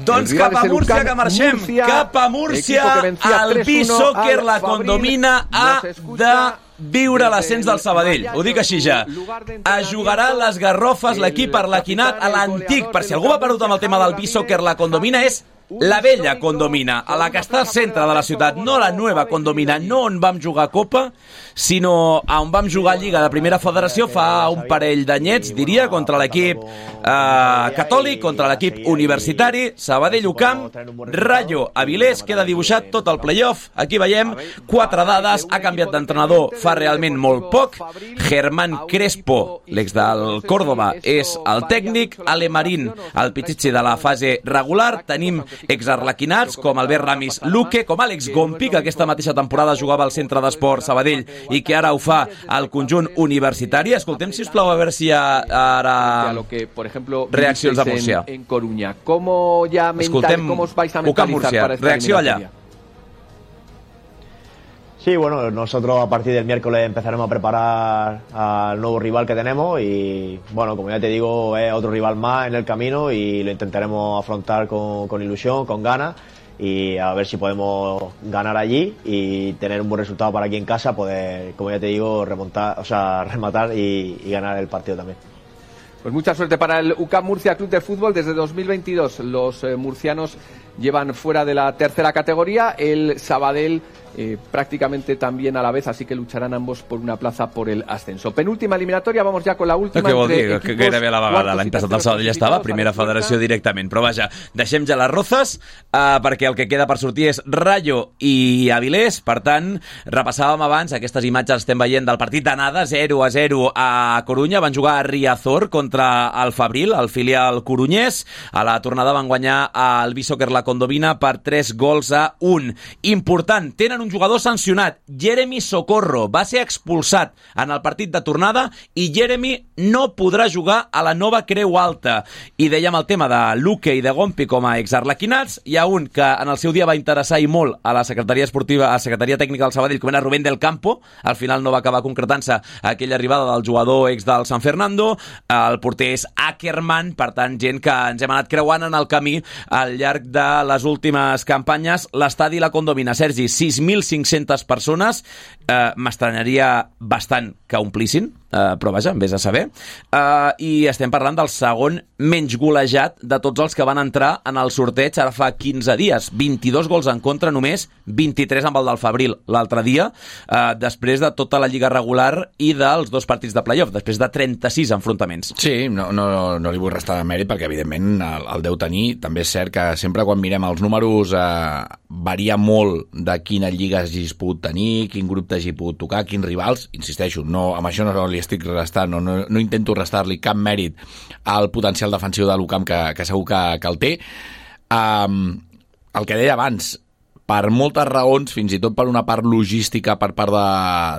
Doncs cap a Múrcia que marxem. Cap a Múrcia, el B-Soccer, la Condomina, ha de viure l'ascens del Sabadell. Ho dic així ja. Es jugarà les Garrofes, l'equip arlequinat a l'antic. Per si algú va perdut amb el tema del B-Soccer, la Condomina és la vella Condomina, a la que està al centre de la ciutat, no la nova Condomina, no on vam jugar Copa, sinó on vam jugar Lliga de Primera Federació fa un parell d'anyets, diria, contra l'equip catòlic, contra l'equip universitari, Sabadell UCAM, Rayo Avilés, queda dibuixat tot el playoff. Aquí veiem 4 dades, ha canviat d'entrenador fa realment molt poc. Germán Crespo, l'ex del Córdoba, és el tècnic. Ale Marín, el pitxitxi de la fase regular. Tenim exarlequinats com Albert Ramis Luque, com Àlex Gompi, que aquesta mateixa temporada jugava al Centre d'Esport Sabadell i que ara ho fa al conjunt universitari. Escoltem, si us plau, a veure si hi ha ara reaccions a Múrcia. En Coruña. ¿Cómo ya cómo os vais a mentalizar para esta reacció allà? Sí, bueno, nosotros a partir del miércoles empezaremos a preparar al nuevo rival que tenemos y, bueno, como ya te digo, es otro rival más en el camino y lo intentaremos afrontar con ilusión, con ganas y a ver si podemos ganar allí y tener un buen resultado para aquí en casa, poder, como ya te digo, rematar y ganar el partido también. Pues mucha suerte para el UCAM Murcia Club de Fútbol. Desde 2022 los murcianos llevan fuera de la tercera categoría. El Sabadell prácticamente también a la vez, así que lucharán ambos por una plaza por el ascenso. Penúltima eliminatòria, vamos ja con la última. Què vol dir? Que gairebé a la vegada. L'any passat el Sabadell estava a Primera Federació directament. Però vaja, deixem ja les rozes, perquè el que queda per sortir és Rayo i Avilés. Per tant, repassàvem abans, aquestes imatges estem veient del partit d'anada, 0-0 a Corunya. Van jugar a Riazor contra el Fabril, el filial corunyès. A la tornada van guanyar el B-Soccer la Condovina per 3-1. Important, tenen un jugador sancionat, Jeremy Socorro, va ser expulsat en el partit de tornada i Jeremy no podrà jugar a la nova Creu Alta. I dèiem el tema de Luque i de Gompi com a exarlequinats. Hi ha un que en el seu dia va interessar i molt a la secretaria esportiva, a la secretaria tècnica del Sabadell, com era Rubén del Campo. Al final no va acabar concretant-se aquella arribada del jugador ex del San Fernando. El porter és Ackerman, per tant, gent que ens hem anat creuant en el camí al llarg de les últimes campanyes. L'estadi la Condomina, Sergi, 6.500 persones. M'estranyaria bastant que omplissin, però vaja, vés a saber. I estem parlant del segon menys golejat de tots els que van entrar en el sorteig ara fa 15 dies. 22 gols en contra només, 23 amb el del Fabril l'altre dia, després de tota la lliga regular i dels 2 partits de playoff, després de 36 enfrontaments. Sí, no li vull restar de mèrit perquè evidentment el deu tenir. També és cert que sempre quan mirem els números varia molt de quina lliga hagis pogut tenir, quin grup t'hagi pogut tocar, quins rivals. Insisteixo, amb això no li estic restant, no intento restar-li cap mèrit al potencial defensiu de l'UCAM que segur que el té. El que deia abans, per moltes raons, fins i tot per una part logística per part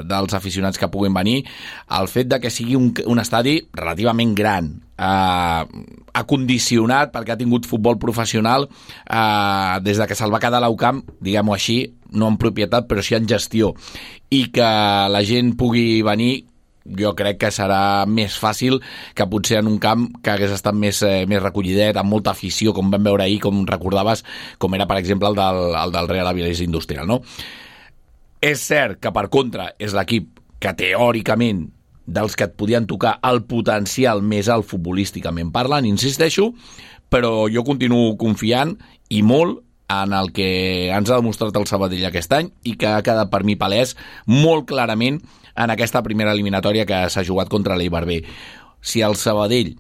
dels aficionats que puguin venir, el fet de que sigui un estadi relativament gran, acondicionat perquè ha tingut futbol professional des de que se'l va quedar l'UCAM, diguem-ho així, no en propietat però sí en gestió, i que la gent pugui venir, jo crec que serà més fàcil que potser en un camp que hagués estat més recollidet, amb molta afició, com vam veure ahir, com recordaves, com era, per exemple, el del Real Avilés Industrial, no? És cert que, per contra, és l'equip que teòricament dels que et podien tocar el potencial més alt futbolísticament parlant, insisteixo, però jo continuo confiant i molt en el que ens ha demostrat el Sabadell aquest any i que ha quedat per mi palès molt clarament en aquesta primera eliminatòria que s'ha jugat contra l'Eibar B. Si el Sabadell,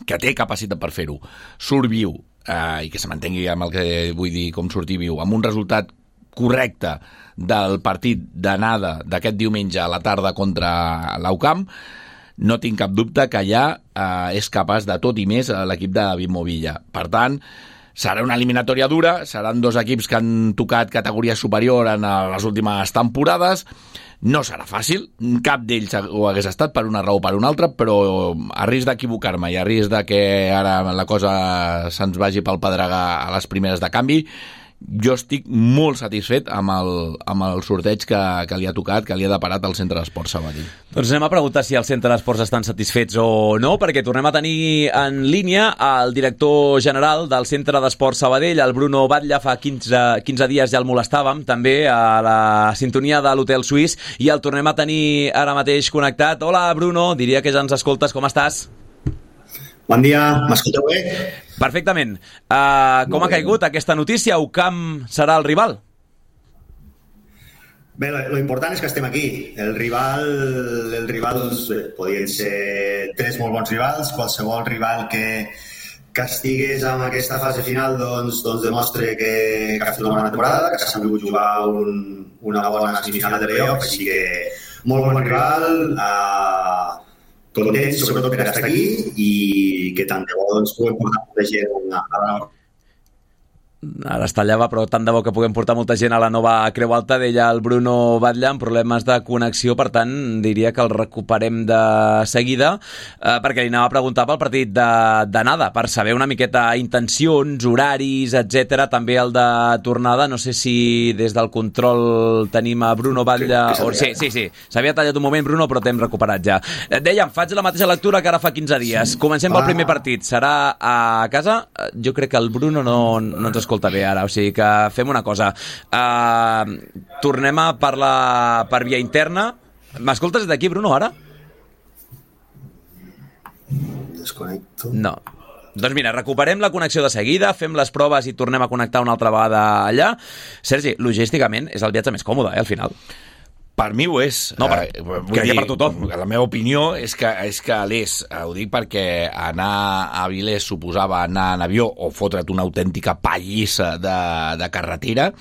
que té capacitat per fer-ho, surt viu, i que se mantengui amb el que vull dir com sortir viu, amb un resultat correcte del partit d'anada d'aquest diumenge a la tarda contra l'UCAM, no tinc cap dubte que allà és capaç de tot i més l'equip de David Movilla. Per tant, serà una eliminatòria dura, seran 2 equips que han tocat categoria superior en les últimes temporades. No serà fàcil, cap d'ells ho hagués estat per una raó o per una altra, però a risc d'equivocar-me i a risc de que ara la cosa se'ns vagi pel pedregar a les primeres de canvi, jo estic molt satisfet amb el sorteig que li ha tocat, que li ha deparat al Centre d'Esports Sabadell. Doncs anem a preguntar si els Centre d'Esports estan satisfets o no, perquè tornem a tenir en línia el director general del Centre d'Esports Sabadell, el Bruno Batlle. Fa 15 dies ja el molestàvem, també a la sintonia de l'Hotel Suís, i el tornem a tenir ara mateix connectat. Hola, Bruno, diria que ja ens escoltes, com estàs? Bon dia, m'escolteu bé? Perfectament. Com ha caigut aquesta notícia? UCAM serà el rival? Bé, lo important és que estem aquí. El rival doncs, podien ser 3 molt bons rivals. Qualsevol rival que estigués en aquesta fase final doncs demostra que ha fet una bona temporada, que s'ha sabut jugar una bona semifinal de playoff, així que molt bon rival, contents sobretot per estar aquí i que tant de bo doncs puguem portar molta gent a la nova. Ara es tallava, però tant de bo que puguem portar molta gent a la nova Creu Alta, deia el Bruno Batlle, amb problemes de connexió, per tant diria que el recuperem de seguida, perquè li anava a preguntar pel partit d'anada, per saber una miqueta intencions, horaris, etc. També el de tornada. No sé si des del control tenim a Bruno Batlle. Sí, s'havia tallat un moment, Bruno, però t'hem recuperat ja. Dèiem, faig la mateixa lectura que ara fa 15 dies. Comencem pel primer partit, serà a casa. Jo crec que el Bruno no ens escolta bé ara, o sigui que fem una cosa, tornem a parlar per via interna. M'escoltes d'aquí, Bruno, ara? Desconnecto. No. Doncs mira, recuperem la connexió de seguida, fem les proves i tornem a connectar una altra vegada allà. Sergi, logísticament és el viatge més còmode, al final. Per mi ho és. No, vull dir, per tothom. La meva opinió és que l'és. Ho dic perquè anar a Avilés suposava anar en avió o fotre't una autèntica pallissa de carretera.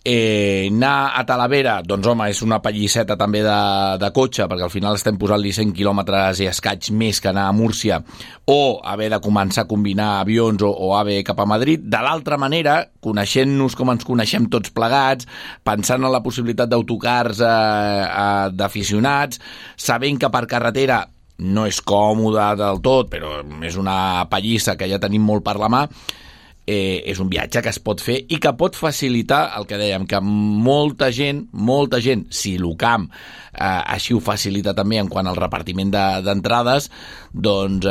anar a Talavera, doncs home, és una pallisseta també de cotxe, perquè al final estem posant-li 100 quilòmetres i escaig més que anar a Múrcia, o haver de començar a combinar avions o haver cap a Madrid. De l'altra manera, coneixent-nos com ens coneixem tots plegats, pensant en la possibilitat d'autocars d'aficionats, sabent que per carretera no és còmode del tot, però és una pallissa que ja tenim molt per la mà, és un viatge que es pot fer i que pot facilitar el que dèiem, que molta gent, si l'UCAM així ho facilita també en quant al repartiment d'entrades, doncs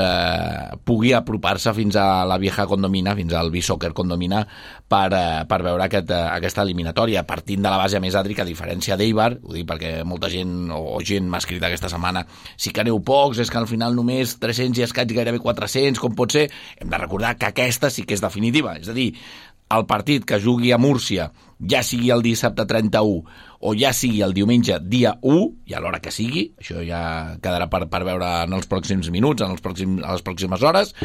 pugui apropar-se fins a la Vieja Condomina, fins al B-Soccer Condomina, per veure aquesta eliminatòria, partint de la base, a més, Adri, que a diferència d'Eibar, ho dic perquè molta gent o gent m'ha escrit aquesta setmana, sí que aneu pocs, és que al final només 300 i escaig, gairebé 400, com pot ser? Hem de recordar que aquesta sí que és definitiva, és a dir, el partit que jugui a Múrcia, ja sigui el dissabte 31 o ja sigui el diumenge dia 1, i a l'hora que sigui, això ja quedarà per veure en els pròxims minuts, a les pròximes hores,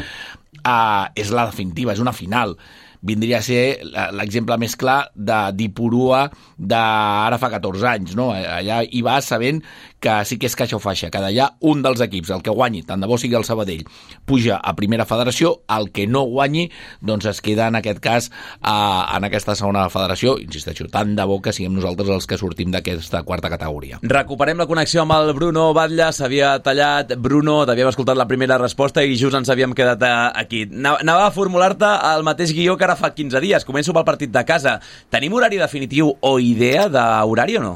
és la definitiva, és una final. Vindria a ser l'exemple més clar d'Ipurua d'ara fa 14 anys, no? Allà hi va sabent que sí que és caixa o faixa, que d'allà un dels equips, el que guanyi, tant de bo sigui el Sabadell, puja a primera federació, el que no guanyi, doncs es queda en aquest cas en aquesta segona federació, insisteixo, tant de bo que siguem nosaltres els que sortim d'aquesta quarta categoria. Recuperem la connexió amb el Bruno Batlle, s'havia tallat. Bruno, t'havíem escoltat la primera resposta i just ens havíem quedat aquí. Anava a formular-te el mateix guió que ara fa 15 dies. Començo pel partit de casa. Tenim horari definitiu o idea d'horari o no?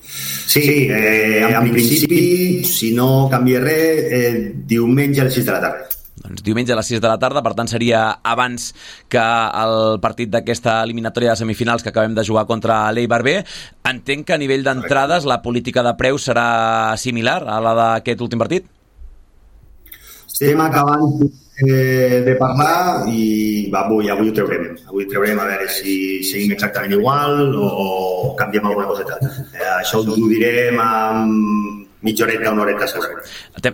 Sí, en principi, si no canvia res, diumenge a les 6 de la tarda. Doncs diumenge a les 6 de la tarda, per tant seria abans que el partit d'aquesta eliminatòria de semifinals que acabem de jugar contra l'Eibar B. Entenc que a nivell d'entrades la política de preus serà similar a la d'aquest últim partit? Estem acabant de parlar i avui ho traurem. Avui traurem a veure si seguim exactament igual o canviem alguna coseta. Això ho direm amb mitja horeta o una horeta segurament.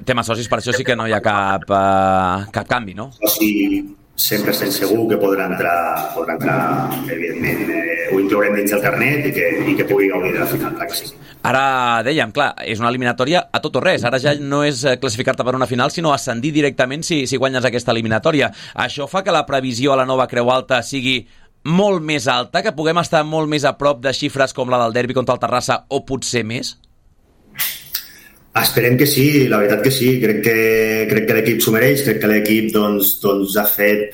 Tema socis, per això sí que no hi ha cap canvi, no? Sí, 100% segur que podrà entrar, evidentment, ho inclourem dins del carnet i que pugui gaudir de la final, clar que sí. Ara dèiem, clar, és una eliminatòria a tot o res. Ara ja no és classificar-te per una final, sinó ascendir directament si guanyes aquesta eliminatòria. Això fa que la previsió a la nova Creu Alta sigui molt més alta, que puguem estar molt més a prop de xifres com la del derbi contra el Terrassa o potser més? Esperem que sí, la veritat que sí. Crec que l'equip s'ho mereix, crec que l'equip doncs ha fet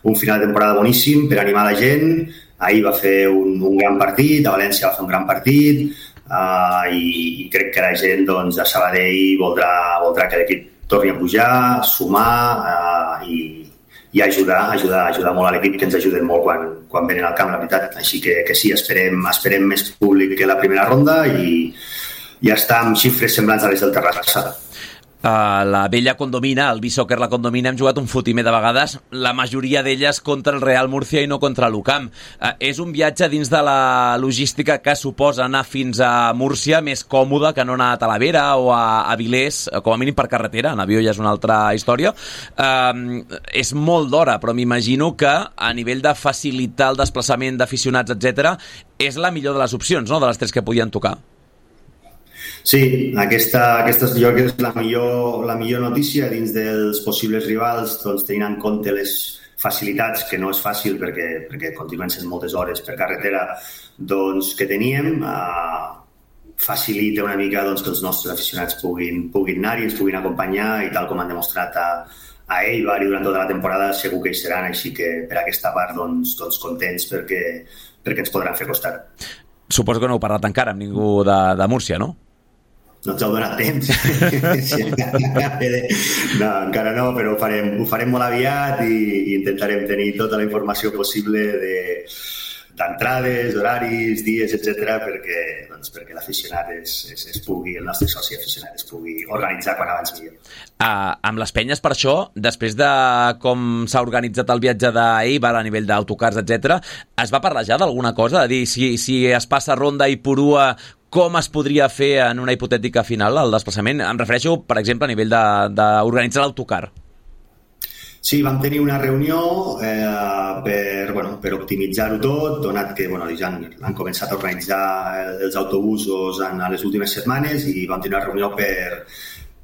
un final de temporada boníssim per animar la gent. Ahir va fer un gran partit, a València va fer un gran partit, i crec que la gent doncs, a Sabadell voldrà que l'equip torni a pujar, sumar i ajudar molt a l'equip, que ens ajuden molt quan venen al camp, la veritat. Així que sí, esperem més públic que la primera ronda i està amb xifres semblants a les del Terrassa. La vella Condomina, el B-Soccer la Condomina, hem jugat un fotimer de vegades, la majoria d'elles contra el Real Murcia i no contra l'UCAM. És un viatge dins de la logística que suposa anar fins a Múrcia més còmode que no anar a Talavera o a Vilés, com a mínim per carretera, en avió ja és una altra història. És molt d'hora, però m'imagino que a nivell de facilitar el desplaçament d'aficionats, etc., és la millor de les opcions, no?, de les tres que podien tocar. Sí, aquesta jo crec que és la millor notícia dins dels possibles rivals, doncs tenint en compte les facilitats, que no és fàcil perquè continuen sent moltes hores per carretera, doncs que teníem, facilita una mica doncs, que els nostres aficionats puguin anar-hi, ens puguin acompanyar, i tal com han demostrat a Eibar i durant tota la temporada segur que hi seran, així que per aquesta part doncs contents perquè ens podran fer costat. Suposo que no heu parlat encara amb ningú de Múrcia, no? No ens heu donat temps. No, encara no, però ho farem molt aviat i intentarem tenir tota la informació possible d'entrades, horaris, dies, etc., perquè l'aficionat el nostre soci aficionat es pugui organitzar quan abans millor. Amb les penyes, per això, després de com s'ha organitzat el viatge d'Eibar a nivell d'autocars, etc., es va parlar ja d'alguna cosa? De dir, si es passa ronda i Purua, com es podria fer en una hipotètica final el desplaçament? Em refereixo, per exemple, a nivell d'organitzar l'autocar. Sí, vam tenir una reunió per optimitzar-ho tot, donat que ja han començat a organitzar els autobusos en les últimes setmanes i vam tenir una reunió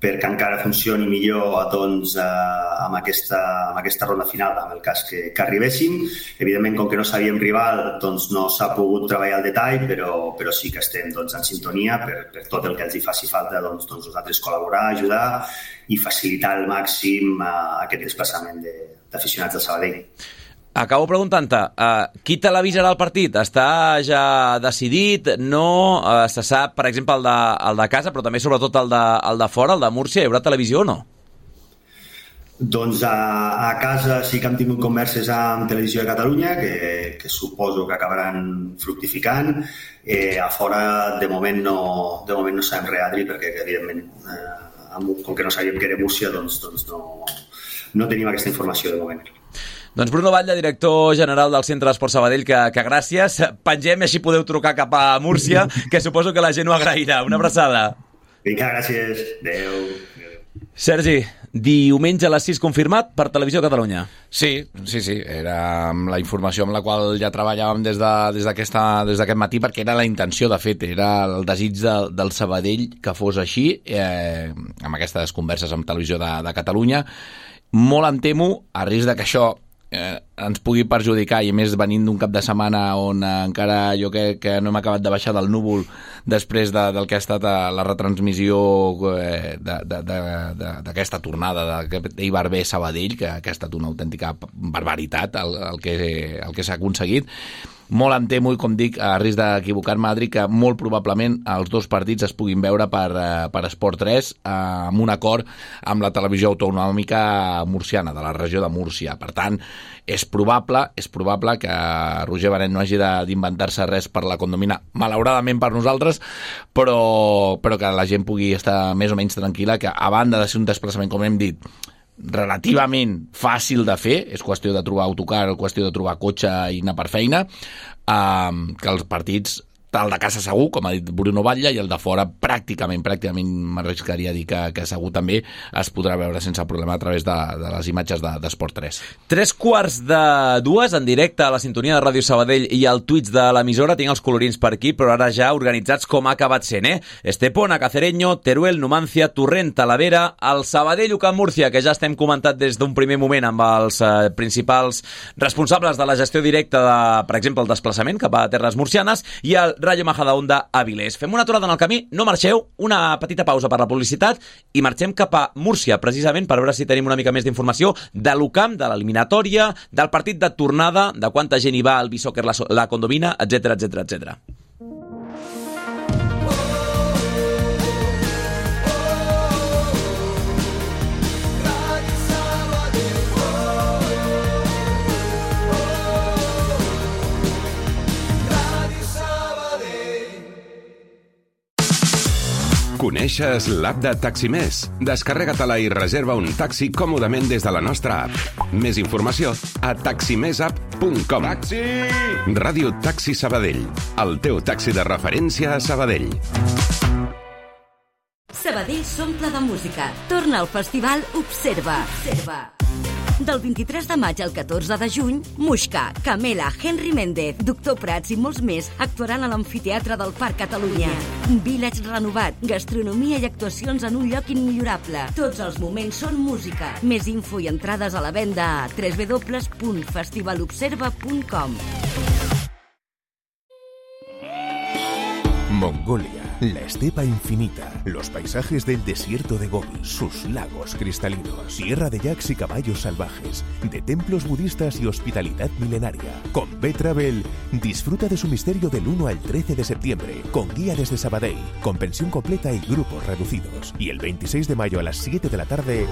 perquè encara funcioni millor amb aquesta ronda final, amb el cas que arribéssim. Evidentment, com que no sabíem rival, no s'ha pogut treballar al detall, però sí que estem en sintonia per tot el que els hi faci falta, nosaltres col·laborar, ajudar i facilitar al màxim aquest desplaçament d'aficionats del Sabadell. Acabo preguntant-te, qui televisarà el partit? Està ja decidit? No? Se sap, per exemple, el de casa, però també sobretot el de fora, el de Múrcia, hi haurà televisió o no? Doncs a casa sí que hem tingut converses amb Televisió de Catalunya, que suposo que acabaran fructificant. A fora, de moment no sabem res, Adri, perquè evidentment, com que no sabíem que era Múrcia, doncs no tenim aquesta informació de moment. Doncs Bruno Batlle, director general del Centre d'Esport Sabadell, que gràcies. Pengem i així podeu trucar cap a Múrcia, que suposo que la gent ho agrairà. Una abraçada. Vinga, gràcies. Adéu. Sergi, diumenge a les 6 confirmat per Televisió de Catalunya. Sí. Era la informació amb la qual ja treballàvem des d'aquest matí, perquè era la intenció, de fet, era el desig del Sabadell que fos així, amb aquestes converses amb Televisió de Catalunya. Molt em temo, a risc de que això ens pugui perjudicar, i més venint d'un cap de setmana on encara jo crec que no hem acabat de baixar del núvol després del que ha estat la retransmissió d'aquesta tornada d'Eibar B Sabadell, que ha estat una autèntica barbaritat el que s'ha aconseguit. Molt em temo, i com dic, a risc d'equivocar-me, Adri, que molt probablement els dos partits es puguin veure per Esport 3 amb un acord amb la televisió autonòmica murciana, de la regió de Múrcia. Per tant, és probable que Roger Benet no hagi d'inventar-se res per la condomina, malauradament per nosaltres, però que la gent pugui estar més o menys tranquil·la, que a banda de ser un desplaçament, com hem dit, relativament fàcil de fer, és qüestió de trobar autocar, qüestió de trobar cotxe i anar per feina, que els partits, el de casa segur, com ha dit Bruno Batlle, i el de fora pràcticament m'arriscaria a dir que segur també es podrà veure sense problema a través de les imatges d'Esport 3. 3:45 en directe a la sintonia de Ràdio Sabadell i al Twitch de l'emissora. Tinc els colorins per aquí, però ara ja organitzats com ha acabat sent, Estepona, Cacereño, Teruel, Numancia, Torrent, Talavera, el Sabadell, UCAM Múrcia, que ja estem comentat des d'un primer moment amb els principals responsables de la gestió directa per exemple, el desplaçament cap a terres murcianes, i el Rayo Majadahonda Avilés. Fem una aturada en el camí, no marxeu, una petita pausa per la publicitat i marxem cap a Múrcia, precisament per veure si tenim una mica més d'informació de l'UCAM, de l'eliminatòria, del partit de tornada, de quanta gent hi va al Bisòquer la Condomina, etc. Coneixes l'app de Taximés? Descarrega-te-la i reserva un taxi còmodament des de la nostra app. Més informació a taximesapp.com. Taxi! Ràdio Taxi Sabadell, el teu taxi de referència a Sabadell. Sabadell s'omple de música. Torna al festival Observa. Del 23 de maig al 14 de juny, Muixca, Camela, Henry Méndez, Doctor Prats i molts més actuaran a l'Amfiteatre del Parc Catalunya. Village renovat, gastronomia i actuacions en un lloc immillorable. Tots els moments són música. Més info i entrades a la venda a www.festivalobserva.com. Mongolia, la estepa infinita, los paisajes del desierto de Gobi, sus lagos cristalinos, tierra de yaks y caballos salvajes, de templos budistas y hospitalidad milenaria. Con B-Travel, disfruta de su misterio del 1 al 13 de septiembre, con guía desde Sabadell, con pensión completa y grupos reducidos. Y el 26 de mayo a las 7 de la tarde...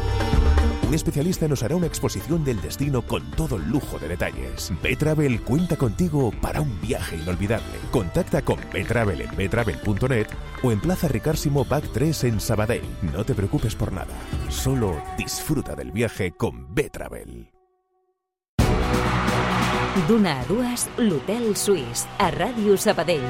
un especialista nos hará una exposición del destino con todo lujo de detalles. B-Travel cuenta contigo para un viaje inolvidable. Contacta con B-Travel en btravel.net o en Plaza Ricársimo Bac 3 en Sabadell. No te preocupes por nada, solo disfruta del viaje con B-Travel. D'una a dues, l'Hotel Suís, a Ràdio Sabadell.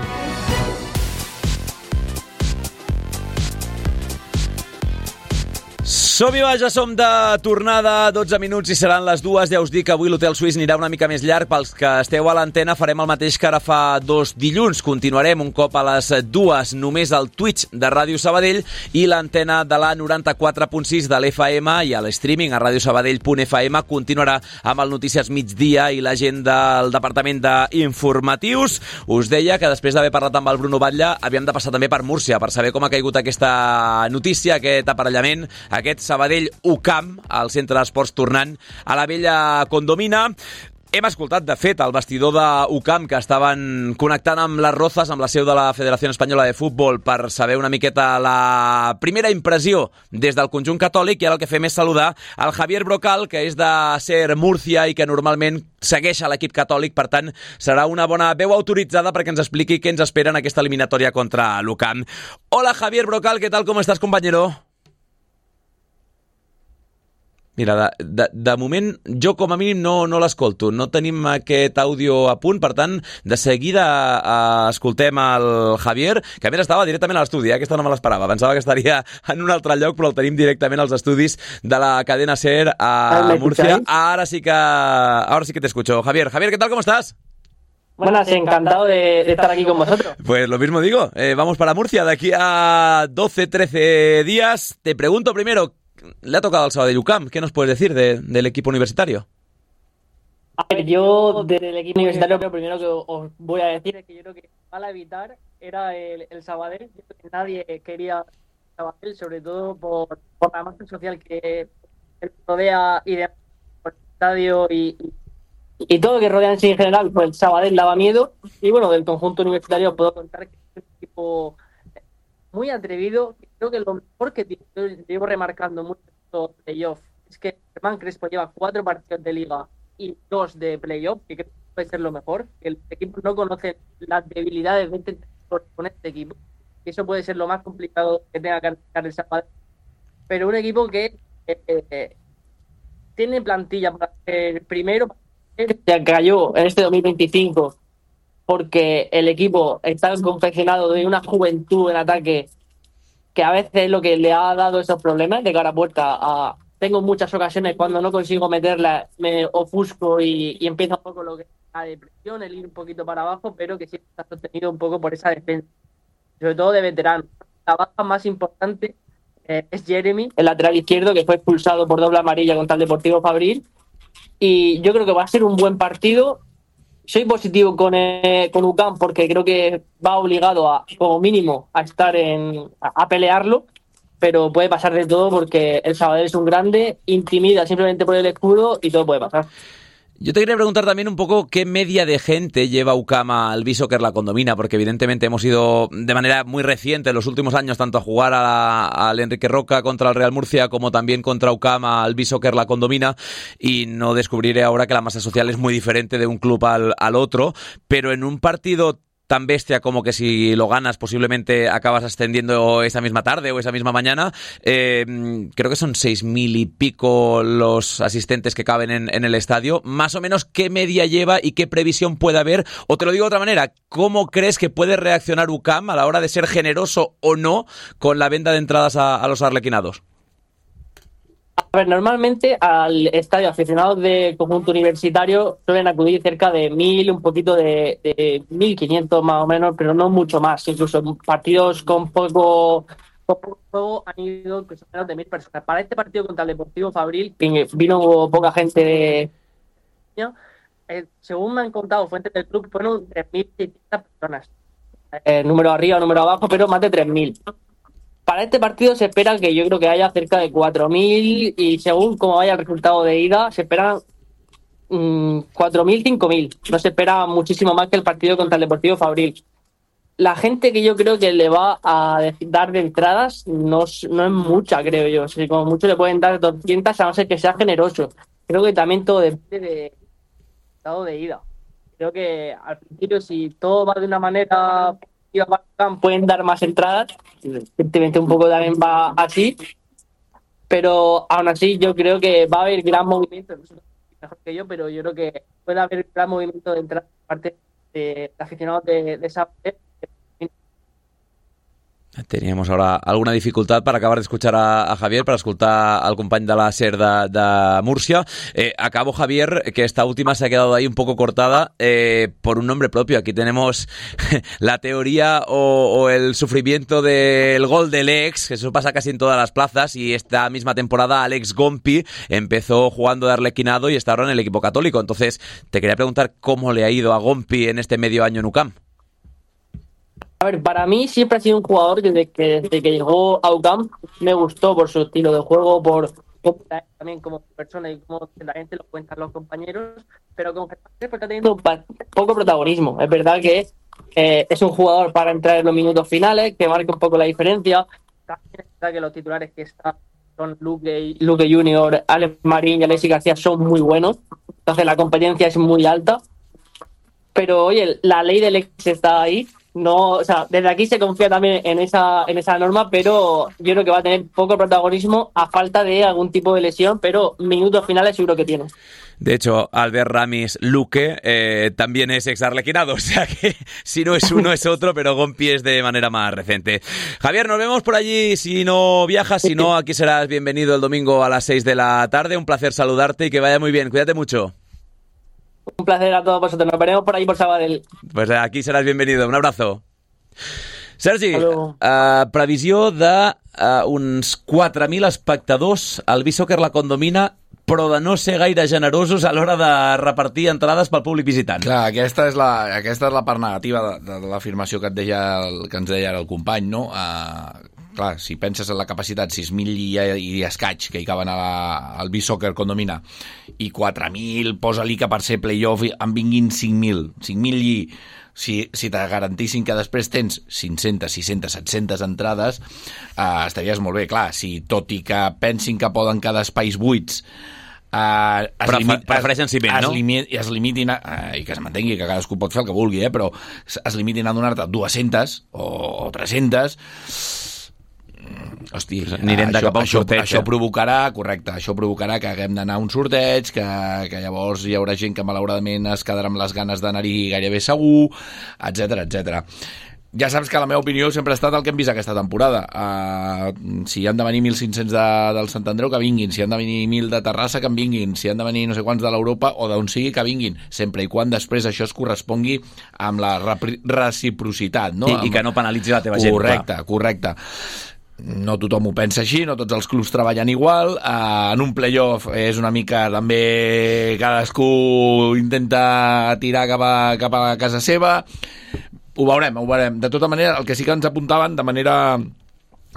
Som-hi, ja som de tornada, 12 minuts i seran les 2. Ja us dic que avui l'Hotel Suís anirà una mica més llarg. Pels que esteu a l'antena farem el mateix que ara fa 2 dilluns. Continuarem un cop a les 2 només al Twitch de Ràdio Sabadell i l'antena de la 94.6 de l'FM i a l'streaming a radiosabadell.fm continuarà amb el Notícies Migdia i la gent del Departament d'Informatius. Us deia que després d'haver parlat amb el Bruno Batlle havíem de passar també per Múrcia per saber com ha caigut aquesta notícia, aquest aparellament, aquest Sabadell UCAM, al centre d'esports tornant a la vella Condomina. Hem escoltat, de fet, el vestidor de UCAM que estaven connectant amb les Rozas, amb la seu de la Federació Espanyola de Futbol, per saber una miqueta la primera impressió des del conjunt catòlic, i ara el que fem és saludar el Javier Brocal, que és de SER Múrcia i que normalment segueix a l'equip catòlic, per tant, serà una bona veu autoritzada perquè ens expliqui què ens espera en aquesta eliminatòria contra l'UCAM. Hola, Javier Brocal, ¿qué tal? ¿Cómo estás, compañero? Mira, de moment jo com a mínim no l'escolto, no tenim aquest àudio a punt, per tant, de seguida escoltem el Javier, que a més estava directament a l'estudi, aquesta no me l'esperava, pensava que estaria en un altre lloc, però el tenim directament als estudis de la cadena SER a Murcia. Ahora sí que te escucho. Javier, ¿qué tal? ¿Cómo estás? Buenas, encantado de estar aquí con vosotros. Pues lo mismo digo, vamos para Murcia de aquí a 12-13 días. Te pregunto primero, le ha tocado al Sabadell UCAM. ¿Qué nos puedes decir del equipo universitario? A ver, yo del equipo universitario lo primero que os voy a decir es que yo creo que para evitar era el Sabadell. Yo creo que nadie quería el Sabadell, sobre todo por la masa social que rodea y de por el estadio y todo lo que rodea en sí en general. Pues el Sabadell daba miedo, y bueno, del conjunto universitario puedo contar que es un equipo muy atrevido. Creo que lo mejor que llevo remarcando mucho en estos playoffs es que Germán Crespo lleva 4 partidos de liga y 2 de playoff, que creo que puede ser lo mejor. Que el equipo no conoce las debilidades de con este equipo, y eso puede ser lo más complicado que tenga que arrancar el Sabadell. Pero un equipo que tiene plantilla para ser primero, se cayó en este 2025 porque el equipo está confeccionado de una juventud en ataque que a veces es lo que le ha dado esos problemas de cara a puerta. Tengo muchas ocasiones cuando no consigo meterla, me ofusco y empieza un poco lo que es la depresión, el ir un poquito para abajo, pero que siempre está sostenido un poco por esa defensa, sobre todo de veteranos. La baja más importante es Jeremy, el lateral izquierdo, que fue expulsado por doble amarilla contra el Deportivo Fabril, y yo creo que va a ser un buen partido. Soy positivo con UCAM porque creo que va obligado como mínimo a estar a pelearlo, pero puede pasar de todo porque el Sabadell es un grande, intimida simplemente por el escudo y todo puede pasar. Yo te quería preguntar también un poco qué media de gente lleva UCAM al B-Soccer La Condomina, porque evidentemente hemos ido de manera muy reciente en los últimos años tanto a jugar al Enrique Roca contra el Real Murcia como también contra UCAM al B-Soccer La Condomina, y no descubriré ahora que la masa social es muy diferente de un club al otro, pero en un partido tan bestia como que si lo ganas posiblemente acabas ascendiendo esa misma tarde o esa misma mañana, creo que son 6.000 y pico los asistentes que caben en el estadio. Más o menos, ¿qué media lleva y qué previsión puede haber? O te lo digo de otra manera, ¿cómo crees que puede reaccionar UCAM a la hora de ser generoso o no con la venta de entradas a los arlequinados? A ver, normalmente al estadio aficionados de conjunto universitario suelen acudir cerca de 1.000, un poquito de 1.500 más o menos, pero no mucho más. Incluso partidos con poco juego han ido incluso menos de 1.000 personas. Para este partido contra el Deportivo Fabril, que vino poca gente según me han contado fuentes del club, fueron 3.600 personas. Número arriba, número abajo, pero más de 3.000. Para este partido se espera que yo creo que haya cerca de 4.000, y según cómo vaya el resultado de ida, se esperan 4.000, 5.000. No se espera muchísimo más que el partido contra el Deportivo Fabril. La gente que yo creo que le va a dar de entradas no es mucha, creo yo. Si como mucho le pueden dar 200, a no ser que sea generoso. Creo que también todo depende del estado de ida. Creo que al principio, si todo va de una manera, pueden dar más entradas. Evidentemente un poco también va así, pero aún así yo creo que va a haber gran movimiento, mejor que yo, pero yo creo que puede haber gran movimiento de entrada por parte de aficionados de esa. Teníamos ahora alguna dificultad para acabar de escuchar a Javier, para escoltar al company de la SER de Murcia. Acabo, Javier, que esta última se ha quedado ahí un poco cortada por un nombre propio. Aquí tenemos la teoría o el sufrimiento del gol del ex, que eso pasa casi en todas las plazas, y esta misma temporada Alex Gompi empezó jugando de arlequinado y está ahora en el equipo católico. Entonces, te quería preguntar cómo le ha ido a Gompi en este medio año en UCAM. A ver, para mí siempre ha sido un jugador que desde que llegó a UCAM me gustó por su estilo de juego, por también como persona y como la gente lo cuentan los compañeros, pero con Getafe está teniendo poco protagonismo. Es verdad que es un jugador para entrar en los minutos finales, que marca un poco la diferencia. También es verdad que los titulares que están son Luque Junior, Alex Marín y Alexis García son muy buenos, entonces la competencia es muy alta. Pero oye, la ley del ex está ahí. No, o sea, desde aquí se confía también en esa norma, pero yo creo que va a tener poco protagonismo a falta de algún tipo de lesión, pero minutos finales seguro que tiene. De hecho, Albert Ramis Luque también es exarlequinado, o sea que si no es uno es otro, pero Gompi es de manera más reciente. Javier, nos vemos por allí, si no viajas, si no, aquí serás bienvenido el domingo a las 6 de la tarde. Un placer saludarte y que vaya muy bien, cuídate mucho. Un placer a todos vosotros. Nos veremos por ahí por Sabadell. Pues aquí seràs bienvenido. Un abrazo. Sergi, previsió d'uns 4.000 espectadors. El B-Soccer la condomina, però de no ser gaire generosos a l'hora de repartir entrades pel públic visitant. Clar, aquesta és la part negativa de l'afirmació que ens deia el company, no? Clar, si penses en la capacitat 6.000 i escaig que hi caben al B-Soccer condomina i 4.000, posa-li que per ser playoff en vinguin 5.000 i si te garantissin que després tens 500, 600, 700 entrades, estaries molt bé. Clar, si tot i que pensin que poden quedar espais buits prefereixen ciment, no? Es limitin i que es mantengui, que cadascú pot fer el que vulgui, però es limitin a donar-te 200 o 300. Hosti, això provocarà que haguem d'anar a un sorteig, que llavors hi haurà gent que malauradament es quedarà amb les ganes d'anar-hi gairebé segur, etc. Ja saps que la meva opinió sempre ha estat el que hem vist aquesta temporada. Si han de venir 1.500 del Sant Andreu, que vinguin. Si han de venir 1.000 de Terrassa, que en vinguin. Si han de venir no sé quants de l'Europa o d'on sigui, que vinguin. Sempre i quan després això es correspongui amb la reciprocitat, no? I que no penalitzi la teva gent. Correcte. No tothom ho pensa així, no tots els clubs treballen igual. En un playoff és una mica també cadascú intenta tirar cap a casa seva. Ho veurem. De tota manera, el que sí que ens apuntaven de manera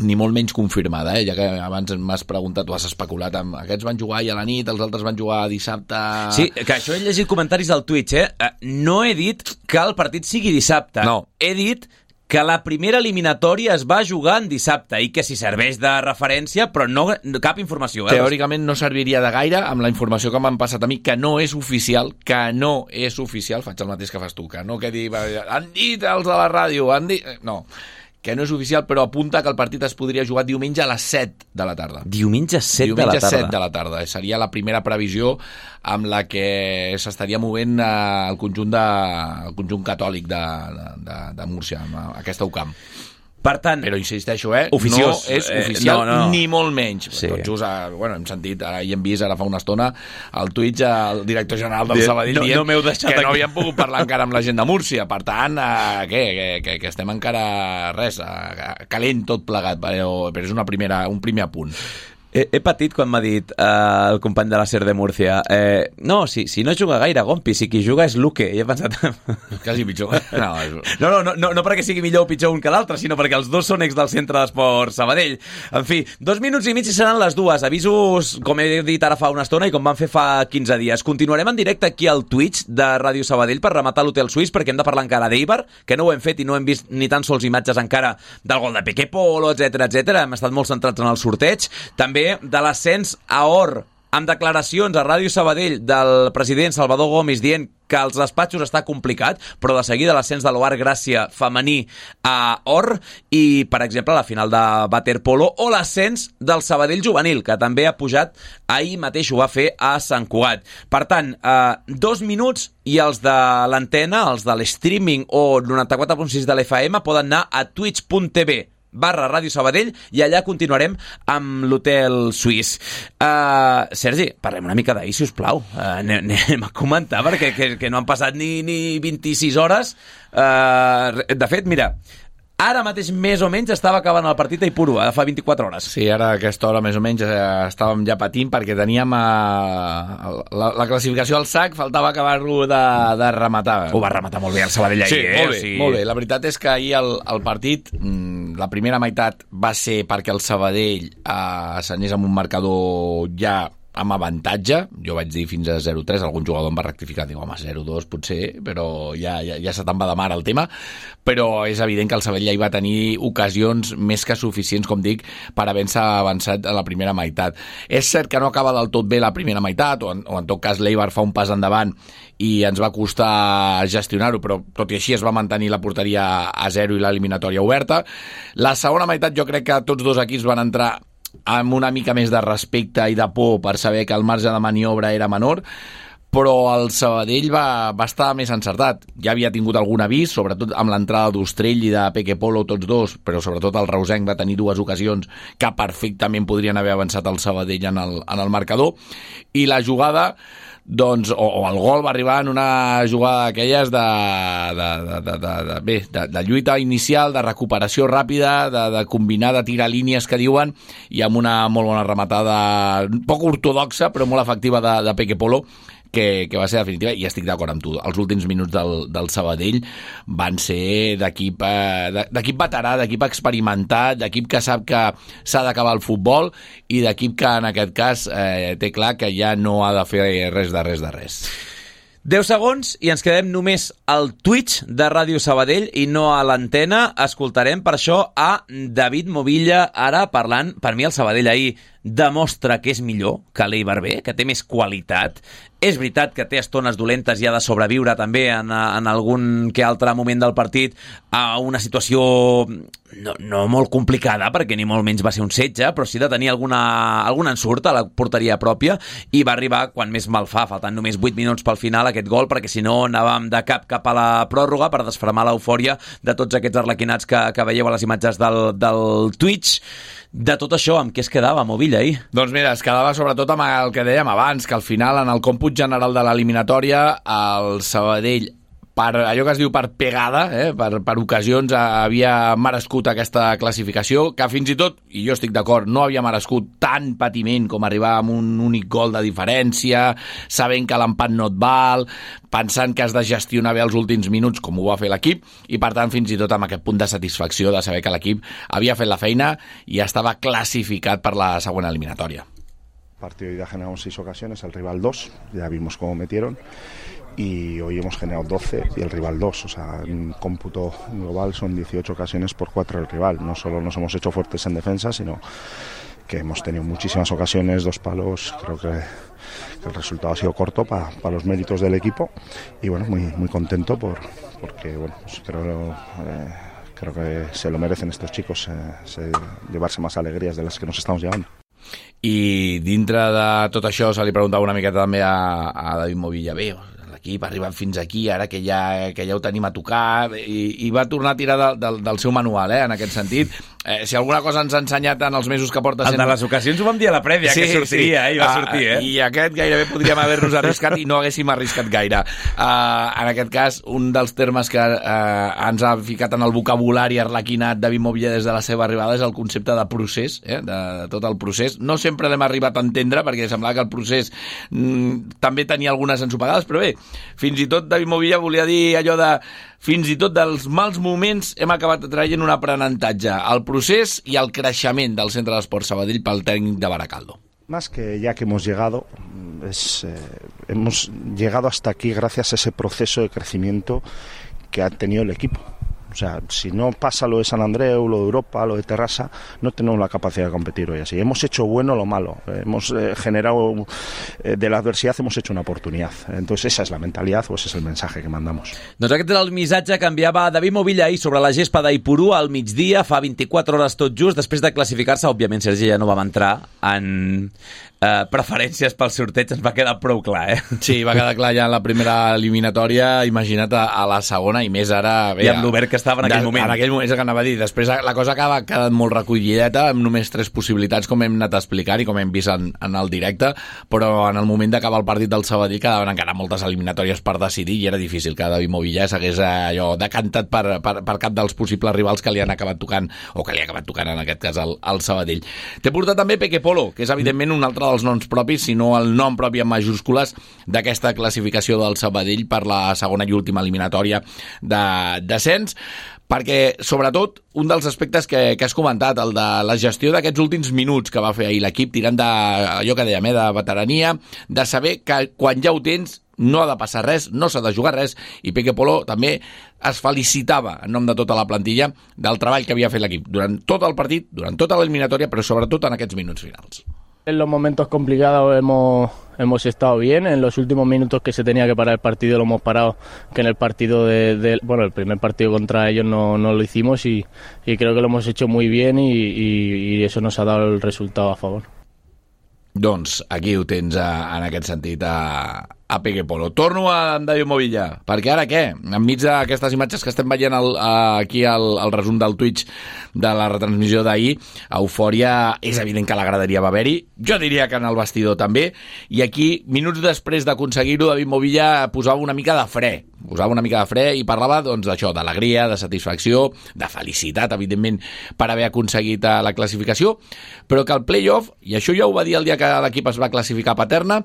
ni molt menys confirmada, ja que abans m'has preguntat, tu has especulat amb aquests van jugar ahir a la nit, els altres van jugar dissabte. Sí, que això he llegit comentaris al Twitch, no he dit que el partit sigui dissabte, no. He dit que la primera eliminatòria es va jugar en dissabte i que si serveix de referència, però no cap informació. Teòricament no serviria de gaire amb la informació que m'han passat a mi, que no és oficial, faig el mateix que fas tu, que no quedi... Han dit els de la ràdio, No, que no és oficial, però apunta que el partit es podria jugar diumenge a les 7 de la tarda. Diumenge 7 de la tarda? Diumenge 7 de la tarda. Seria la primera previsió amb la que s'estaria movent el conjunt catòlic de Múrcia, amb aquesta UCAM. Per tant, però insisteixo, oficiós, no és oficial, no. Ni molt menys. Sí. Tot just, hem sentit, i hem vist ara fa una estona al Twitch el director general del Sabadell dient que no havíem pogut parlar encara amb la gent de Múrcia. Per tant, que estem encara calent tot plegat, però és un primer apunt. He patit quan m'ha dit el company de la SER de Múrcia no, si no juga gaire Gompi, si qui juga és Luque, i he pensat quasi pitjor. No perquè sigui millor o pitjor un que l'altre, sinó perquè els dos són ex del Centre d'Esport Sabadell. En fi, 2 minuts i mig i seran les 2. Avisos, com he dit ara fa una estona i com vam fer fa 15 dies. Continuarem en directe aquí al Twitch de Ràdio Sabadell per rematar l'Hotel Suís, perquè hem de parlar encara d'Eibar, que no ho hem fet i no hem vist ni tan sols imatges encara del gol de Piqué Polo, etc. Hem estat molt centrats en el sorteig. També de l'ascens a Or, amb declaracions a Ràdio Sabadell del president Salvador Gomis dient que els despatxos està complicat, però de seguida l'ascens de l'Oar Gràcia femení a Or i, per exemple, la final de waterpolo o l'ascens del Sabadell juvenil, que també ha pujat, ahir mateix ho va fer a Sant Cugat. Per tant, 2 minuts i els de l'antena, els de l'streaming o 94.6 de l'FM poden anar a twitch.tv Ràdio Sabadell, i allà continuarem amb l'Hotel Suís. Sergi, parlem una mica d'ahir, si us plau. Anem a comentar, perquè que no han passat ni 26 hores. De fet, mira, ara mateix més o menys estava acabant el partit a Ipurú, fa 24 hores. Sí, ara a aquesta hora més o menys estàvem ja patint perquè teníem la classificació al sac, faltava acabar-lo de rematar. Ho va rematar molt bé el Sabadell ahir, sí, molt bé, sí. Molt bé. La veritat és que ahir el partit, la primera meitat va ser perquè el Sabadell s'anés amb un marcador ja amb avantatge, jo vaig dir fins a 0-3, algun jugador em va rectificar, diu, home, 0-2 potser, però ja se te'n va de mar el tema, però és evident que el Sabadell ja hi va tenir ocasions més que suficients, com dic, per haver-se avançat a la primera meitat. És cert que no acaba del tot bé la primera meitat, o en tot cas l'Eibar fa un pas endavant i ens va costar gestionar-ho, però tot i així es va mantenir la porteria a 0 i l'eliminatòria oberta. La segona meitat jo crec que tots dos equips van entrar amb una mica més de respecte i de por per saber que el marge de maniobra era menor, però el Sabadell va estar més encertat. Ja havia tingut algun avís, sobretot amb l'entrada d'Ostrell i de Peque Polo, tots dos, però sobretot el reusenc va tenir dues ocasions que perfectament podrien haver avançat el Sabadell en el marcador, i la jugada doncs, o el gol va arribar en una jugada d'aquelles de lluita inicial, de recuperació ràpida, de combinar, de tirar línies que diuen, i amb una molt bona rematada, poc ortodoxa però molt efectiva de Peque Polo, que va ser definitiva, i estic d'acord amb tu. Els últims minuts del Sabadell van ser d'equip veterà, d'equip experimentat, d'equip que sap que s'ha d'acabar el futbol, i d'equip que en aquest cas té clar que ja no ha de fer res de res. 10 segons i ens quedem només al Twitch de Ràdio Sabadell i no a l'antena. Escoltarem per això a David Movilla, ara parlant. Per mi el Sabadell ahir demostra que és millor que l'Eibar B, que té més qualitat. És veritat que té estones dolentes i ha de sobreviure també en algun que altre moment del partit a una situació no molt complicada, perquè ni molt menys va ser un setge, però sí de tenir algun ensurt a la porteria pròpia, i va arribar quan més mal fa, faltant només 8 minuts pel final aquest gol, perquè si no anàvem de cap a la pròrroga per desfermar l'eufòria de tots aquests arlequinats que veieu a les imatges del Twitch. De tot això, amb què es quedava Movilla ahir? Doncs mira, es quedava sobretot amb el que dèiem abans, que al final, en el còmput general de l'eliminatòria, el Sabadell, per allò que es diu per pegada, per ocasions, havia merescut aquesta classificació, que fins i tot, i jo estic d'acord, no havia merescut tant patiment com arribar amb un únic gol de diferència, sabent que l'empat no et val, pensant que has de gestionar bé els últims minuts, com ho va fer l'equip, i per tant fins i tot amb aquest punt de satisfacció de saber que l'equip havia fet la feina i estava classificat per la següent eliminatòria. Partido ya generamos 6 ocasiones, el rival 2, ya vimos cómo metieron, y hoy hemos generado 12 y el rival 2, o sea, en cómputo global son 18 ocasiones por 4 del rival. No solo nos hemos hecho fuertes en defensa, sino que hemos tenido muchísimas ocasiones, 2 palos. Creo que el resultado ha sido corto para los méritos del equipo, y bueno, muy contento porque bueno, pues creo que se lo merecen estos chicos, llevarse más alegrías de las que nos estamos llevando. I dintre de tot això se li preguntava una miqueta també a David Movilla, bé, l'equip ha arribat fins aquí, ara que ja ho tenim a tocar, i va tornar a tirar del seu manual, en aquest sentit. Si alguna cosa ens ha ensenyat en els mesos que porta sent... El de les ocasions ho vam dir a la prèvia, que sortiria, i va sortir, I aquest gairebé podríem haver-nos arriscat i no haguéssim arriscat gaire. En aquest cas, un dels termes que ens ha ficat en el vocabulari arlequinat David Movilla des de la seva arribada és el concepte de procés, de tot el procés. No sempre l'hem arribat a entendre, perquè semblava que el procés també tenia algunes ensopegades, però bé, fins i tot David Movilla volia dir allò de fins i tot dels mals moments hem acabat traient un aprenentatge, el procés i el creixement del Centre d'Esport Sabadell pel tècnic de Baracaldo. Más que ya que hemos llegado hasta aquí gracias a ese proceso de crecimiento que ha tenido el equipo. O sea, si no pasa lo de San Andreu, lo de Europa, lo de Terrassa, no tenemos la capacidad de competir hoy así. Hemos hecho bueno lo malo, hemos generado de la adversidad, hemos hecho una oportunidad. Entonces esa es la mentalidad, o ese es el mensaje que mandamos. Doncs aquest era el missatge que enviava David Movilla ahir sobre la gespa d'Ipurú al migdia, fa 24 hores tot just, després de classificar-se. Òbviament Sergi ja no vam entrar en preferències pel sorteig, ens va quedar prou clar, Sí, va quedar clar ja en la primera eliminatòria, imagina't a la segona, i més ara... I amb l'obert que estava en aquell moment. En aquell moment és el que anava a dir. Després la cosa acaba quedant molt recollideta, amb només 3 possibilitats, com hem anat a explicar i com hem vist en el directe, però en el moment d'acabar el partit del Sabadell quedaven encara moltes eliminatòries per decidir i era difícil que David Movilla s'hagués allò decantat per cap dels possibles rivals que li han acabat tocant, o que li ha acabat tocant en aquest cas al Sabadell. T'he portat també Peque Polo, que és evidentment un altre dels noms propis, si no el nom propi en majúscules d'aquesta classificació del Sabadell per la segona i última eliminatòria de descens, perquè, sobretot, un dels aspectes que has comentat, el de la gestió d'aquests últims minuts que va fer ahir l'equip, tirant d'allò que dèiem, de veterania, de saber que quan ja ho tens no ha de passar res, no s'ha de jugar res, i Peque Polo també es felicitava en nom de tota la plantilla del treball que havia fet l'equip durant tot el partit, durant tota l'eliminatòria, però sobretot en aquests minuts finals. En los momentos complicados hemos estado bien. En los últimos minutos que se tenía que parar el partido lo hemos parado, que en el partido el primer partido contra ellos no lo hicimos y creo que lo hemos hecho muy bien y eso nos ha dado el resultado a favor. Doncs aquí ho tens en aquest sentit a Peque Polo. Torno a David Movilla, perquè ara què? Enmig d'aquestes imatges que estem veient aquí al resum del Twitch de la retransmissió d'ahir, eufòria, és evident que a la graderia va haver-hi, jo diria que en el vestidor també, i aquí, minuts després d'aconseguir-ho, David Movilla posava una mica de fre i parlava doncs d'això, d'alegria, de satisfacció, de felicitat, evidentment, per haver aconseguit la classificació, però que el play-off, i això ja ho va dir el dia que l'equip es va classificar a Paterna,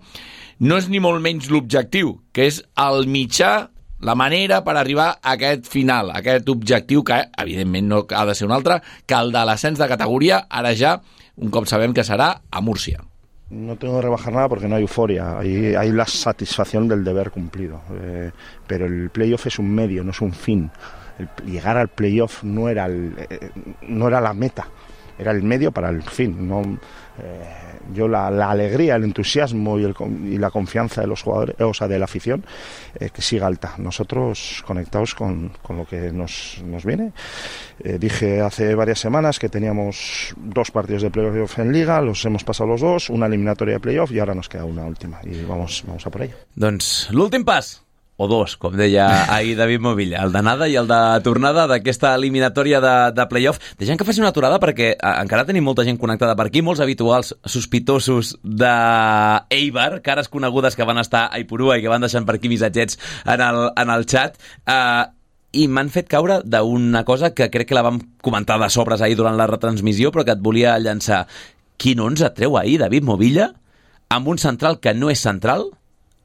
no és ni molt menys l'objectiu, que és el mitjà, la manera per arribar a aquest final, a aquest objectiu que, evidentment, no ha de ser un altre, que el de l'ascens de categoria, ara ja, un cop sabem que serà a Múrcia. No tengo que rebajar nada porque no hay euforia, hay la satisfacción del deber cumplido, pero el playoff es un medio, no es un fin. Llegar al playoff no era la meta, era el medio para el fin. Yo la alegría, el entusiasmo y la confianza de los jugadores, o sea, de la afición, que siga alta. Nosotros conectados con lo que nos viene. Dije hace varias semanas que teníamos 2 partidos de playoff en Liga, los hemos pasado los 2, una eliminatoria de playoff y ahora nos queda una última y vamos a por ello. Doncs l'últim pas, o 2, com deia ahir David Movilla, el d'anada i el de tornada d'aquesta eliminatòria de playoff. Deixem que faci una aturada perquè encara tenim molta gent connectada per aquí, molts habituals sospitosos d'Eibar, cares conegudes que van estar a Ipurua i que van deixant per aquí missatgets en el xat, i m'han fet caure d'una cosa que crec que la vam comentar de sobres ahir durant la retransmissió, però que et volia llançar. Quin 11 treu ahir David Movilla amb un central que no és central?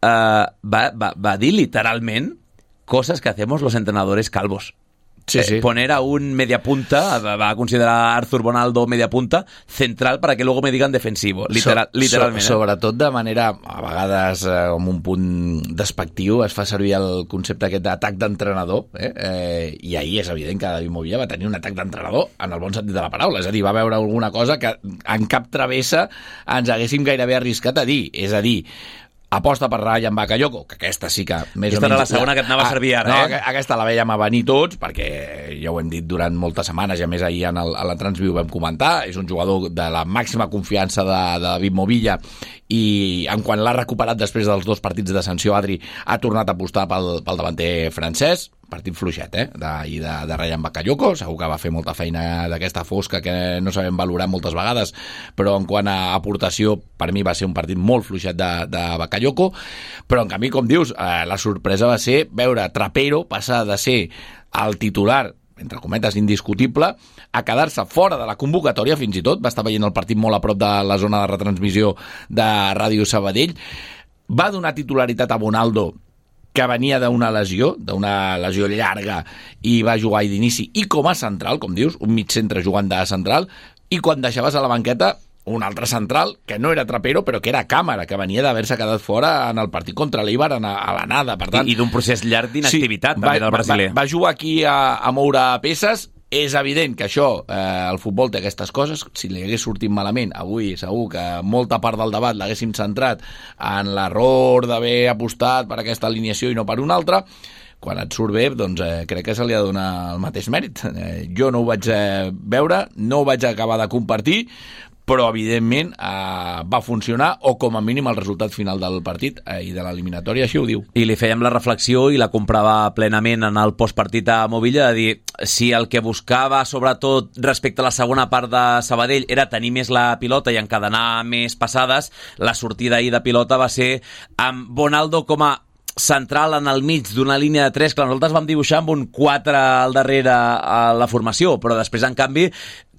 Va dir literalment cosas que hacemos los entrenadores calvos. Sí. Poner a un mediapunta, va a considerar a Arthur Bonaldo mediapunta central para que luego me digan defensivo, literalment. Sobretot de manera, a vegades amb un punt despectiu, es fa servir el concepte aquest d'atac d'entrenador, i ahir és evident que David Movilla va tenir un atac d'entrenador en el bon sentit de la paraula, és a dir, va veure alguna cosa que en cap travessa ens haguéssim gairebé arriscat a dir, és a dir, aposta per Ryan Bakayoko, que aquesta sí que més aquesta o menys... era la segona que et anava a servir ara, Aquesta la vèiem a venir tots, perquè ja ho hem dit durant moltes setmanes, i a més ahir a la Transviu ho vam comentar, és un jugador de la màxima confiança de David Movilla, i en quan l'ha recuperat després dels 2 partits de sanció, Adri ha tornat a apostar pel davanter francès, partit fluixet, d'ahir de Ryan Bakayoko, segur que va fer molta feina d'aquesta fosca que no sabem valorar moltes vegades, però en quant a aportació, per mi va ser un partit molt fluixet de Bakayoko, però en canvi, com dius, la sorpresa va ser veure Trapero passar de ser el titular, entre cometes, indiscutible, a quedar-se fora de la convocatòria, fins i tot, va estar veient el partit molt a prop de la zona de retransmissió de Ràdio Sabadell, va donar titularitat a Bonaldo, que venia d'una lesió llarga, i va jugar d'inici, i com a central, com dius, un mig centre jugant de central, i quan deixaves a la banqueta un altre central, que no era Trapero, però que era Càmara, que venia d'haver-se quedat fora en el partit contra l'Eibar a l'anada. Per tant, I d'un procés llarg d'inactivitat, també, del brasiler. Va jugar aquí a moure peces. És evident que això, el futbol té aquestes coses. Si li hagués sortit malament, avui segur que molta part del debat l'haguéssim centrat en l'error d'haver apostat per aquesta alineació i no per una altra. Quan et surt bé, doncs crec que se li ha de donar el mateix mèrit. Jo no ho vaig veure, no ho vaig acabar de compartir, però evidentment va funcionar, o com a mínim el resultat final del partit i de l'eliminatòria així ho diu. I li fèiem la reflexió i la comprava plenament en el postpartit a Movilla, de dir, si el que buscava sobretot respecte a la segona part de Sabadell era tenir més la pilota i encadenar més passades, la sortida ahir de pilota va ser amb Bonaldo com a central en el mig d'una línia de 3, que nosaltres vam dibuixar amb un 4 al darrere a la formació, però després, en canvi,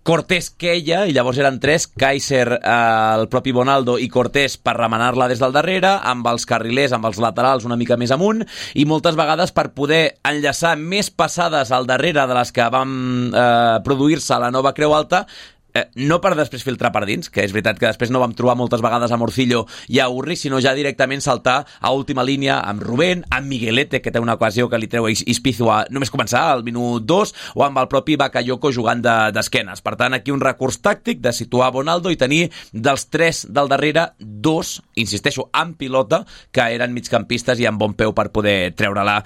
Cortés queia, i llavors eren 3, Kaiser, el propi Bonaldo i Cortés per remenar-la des del darrere, amb els carrilers, amb els laterals una mica més amunt, i moltes vegades per poder enllaçar més passades al darrere de les que van produir-se a la nova Creu Alta, no per després filtrar per dins, que és veritat que després no vam trobar moltes vegades a Morcillo i a Urri, sinó ja directament saltar a última línia amb Rubén, amb Miguelete, que té una ocasió que li treu Ispizu a només començar, al minut 2, o amb el propi Bakayoko jugant d'esquenes. Per tant, aquí un recurs tàctic de situar Bonaldo i tenir dels 3 del darrere 2, insisteixo, amb pilota, que eren migcampistes i amb bon peu per poder treure-la.